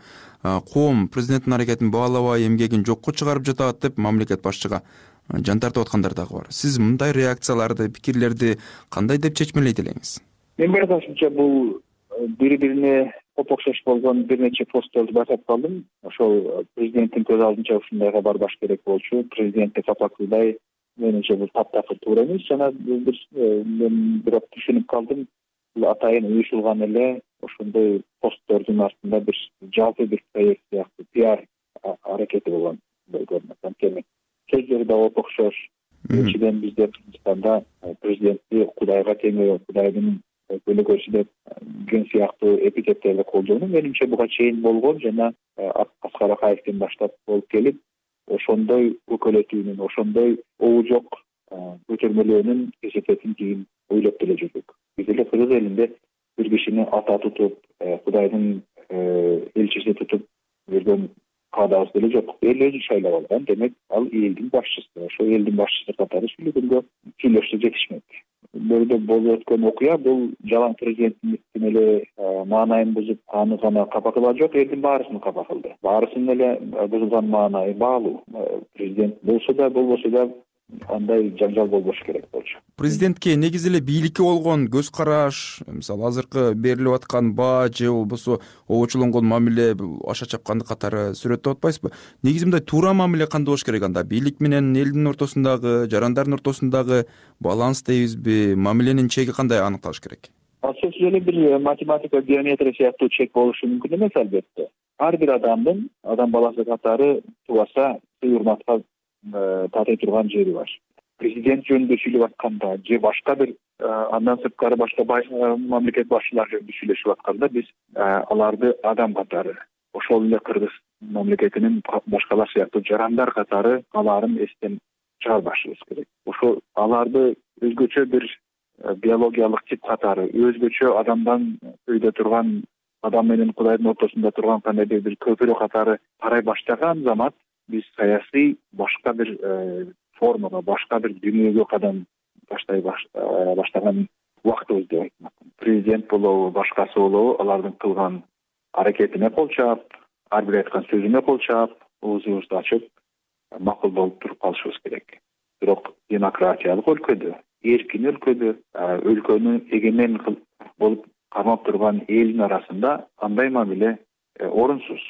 коом президенттин аракетин баалабай, эмгегин жокко чыгарып жатат деп мамлекет башчыга жан тартып аткандар дагы бар. Сиз мындай реакцияларды, пикирлерди кандай деп чечмелейт элеңиз? Мен байкашымча бул бири-бирине окшош болгон бир нече постторду байкап калдым. Ошол президенттин көз алдынча ушундайга барбаш керек болчу. Президентти капа кылбай, менимче бул таптакыр туура эмес. Жана бир мен бирок түшүнүп калдым. Бул атайын уюшулган эле ошондой посттордун артында бир жалпы бир проект сыяктуу пиар аракети болгон көрүнөт. Анткени сөздөрү да окшош. Экинчиден бизде Кыргызстанда президентти Кудайга теңөө, Кудайдын көлөкөсү деп ген сыяктуу эпитеттерди колдонуу менимче буга чейин болгон жана Аскар Акаевден баштап болуп келип, ошондой өкөлөтүүнүн, ошондой обу жок көтөрмөлөөнүн эсепетин кийин ойлоп деле жүрдүк. Биз эле Кыргыз элинде бир кишини ата тутуп, Кудайдын элчиси тутуп жүргөн каадабыз деле жок. Эл өзү шайлап алган, демек ал элдин башчысы. Ошо элдин башчысы катары сүйлөгөнгө сүйлөшсө жетишмек. Бөлдө болуп өткөн окуя бул жалаң президенттин эле маанайын бузуп, аны гана капа кылган жок, элдин баарысын капа кылды. Баарысынын эле бузулган маанайы баалуу. Президент болсо да, болбосо да андай жаңжал болбош керек болчу. Президентке негизи эле бийликке болгон көз караш, мисалы азыркы берилип аткан баа же болбосо обочулонгон мамиле аша чапкандык катары сүрөттөп атпайсызбы? Негизи мындай туура мамиле кандай болуш керек анда? Бийлик менен элдин ортосундагы, жарандардын ортосундагы баланс дейбизби? Мамиленин чеги кандай аныкталыш керек? Сөзсүз эле бир математика, геометрия сыяктуу чек болушу мүмкүн эмес албетте. Ар бир адамдын, адам баласы катары тубаса урматка татый турган жери бар. Президент жөнүндө сүйлөп атканда же башка бир андан сырткары башка мамлекет башчылары жөнүндө сүйлөшүп атканда биз аларды адам катары, ошол эле Кыргыз мамлекетинин башкалар сыяктуу жарандар катары аларын эстен чыгарбашыбыз керек. Ошо аларды өзгөчө бир биологиялык тип катары, өзгөчө адамдан өйдө турган, адам менен Кудайдын ортосунда турган кандайдыр бир көпүрө катары карай баштаган замат биз саясий башка бир формага, башка бир дүйнөгө кадам баштай баштаган убактыбыз деп айтмак. Президент болобу, башкасы болобу, алардын кылган аракетине кол чаап, ар бир айткан сөзүнө кол чаап, оозубузду ачып, макул болуп туруп калышыбыз керек. Бирок демократиялык өлкөдө, эркин өлкөдө, өлкөнү эгемен болуп кармап турган элдин арасында андай мамиле орунсуз.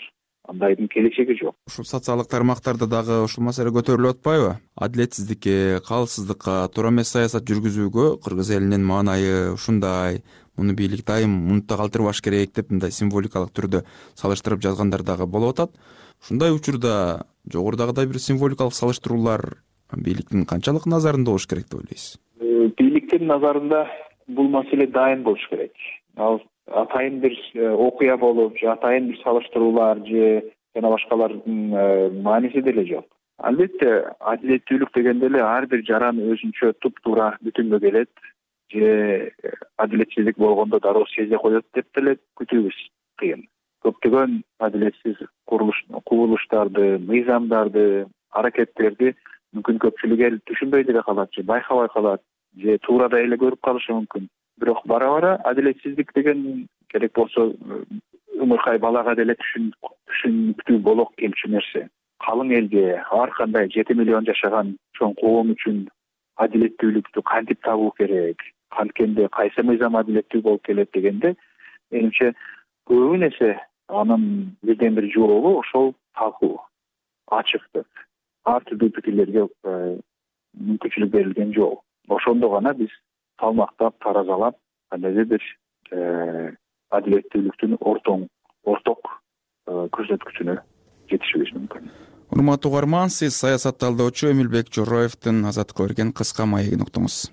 Андайдын келечеги жок. Ушул социалдык тармактарда дагы ушул маселе көтөрүлүп атпайбы? Адилетсиздикке, калыссыздыкка, туура эмес саясат жүргүзүүгө Кыргыз элинин маанайы ушундай, муну бийлик дайым мунутта калтырбаш керек деп мындай символикалык түрдө салыштырып жазгандар дагы болуп атат. Ушундай учурда жогорудагыдай бир символикалык салыштыруулар бийликтин канчалык назарында болуш керек деп ойлойсуз? Бийликтин назарында бул маселе дайым болуш керек. Ал атайын бир окуя болуп, же атайын бир салыштыруулар же жана башкалардын мааниси деле жок. Албетте, адилеттүүлүк дегенде эле ар бир жаран өзүнчө туп-туура бүтүнгө келет, же адилетсиздик болгондо дароо сезе коет деп деле күтүүбүз кыйын. Көптөгөн адилетсиз курулуш, кубулуштарды, мыйзамдарды, аракеттерди мүмкүн көпчүлүк эл түшүнбөй деле калат, же байкабай калат, же туурадай эле көрүп калышы мүмкүн. Бирок бара-бара адилетсиздик деген керек болсо ымыркай балага деле түшүнүктүү болок келчү нерсе. Калың элге, ар кандай жети миллион жашаган чоң коом үчүн адилеттүүлүктү кантип табуу керек, канткенде кайсы мыйзам адилеттүү болуп келет дегенде, менимче көбүн эсе анын бирден бир жообу ошол талкуу, ачыктык, ар түрдүү пикирлерге мүмкүнчүлүк берилген жол. Ошондо гана биз салмактап, таразалап, кандайдыр бир адилеттүүлүктүн ортоң, орток көрсөткүчүнө жетишибиз мүмкүн. Урматтуу угарман, сиз саясат талдоочу Эмилбек Жороевдин Азаттыкка берген кыска маегин уктуңуз.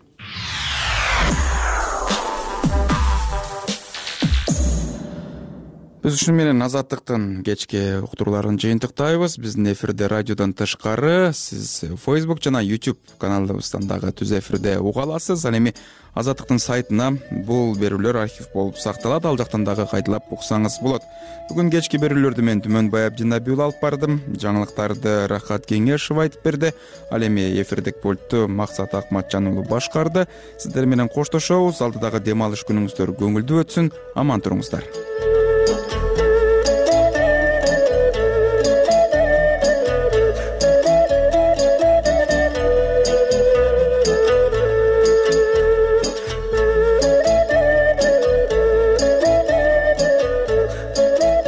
Биз ушуну менен Азаттыктын кечки уктурууларын жыйынтыктайбыз. Биздин эфирде радиодон тышкары сиз Facebook жана YouTube каналыбыздан дагы түз эфирде уга аласыз. Ал эми Азаттыктын сайтына бул берүүлөр архив болуп сакталат, ал жактан дагы кайталап уксаңыз болот. Бүгүн кечки берүүлөрдү мен Түмөнбай Абдинабиул алып бардым. Жаңылыктарды Рахат Кеңешов айтып берди. Ал эми эфирдик пультту Максат Акматжан уулу башкарды. Сиздер менен коштошобуз. Алдыдагы дем алыш күнүңүздөр көңүлдүү өтсүн. Аман туруңуздар.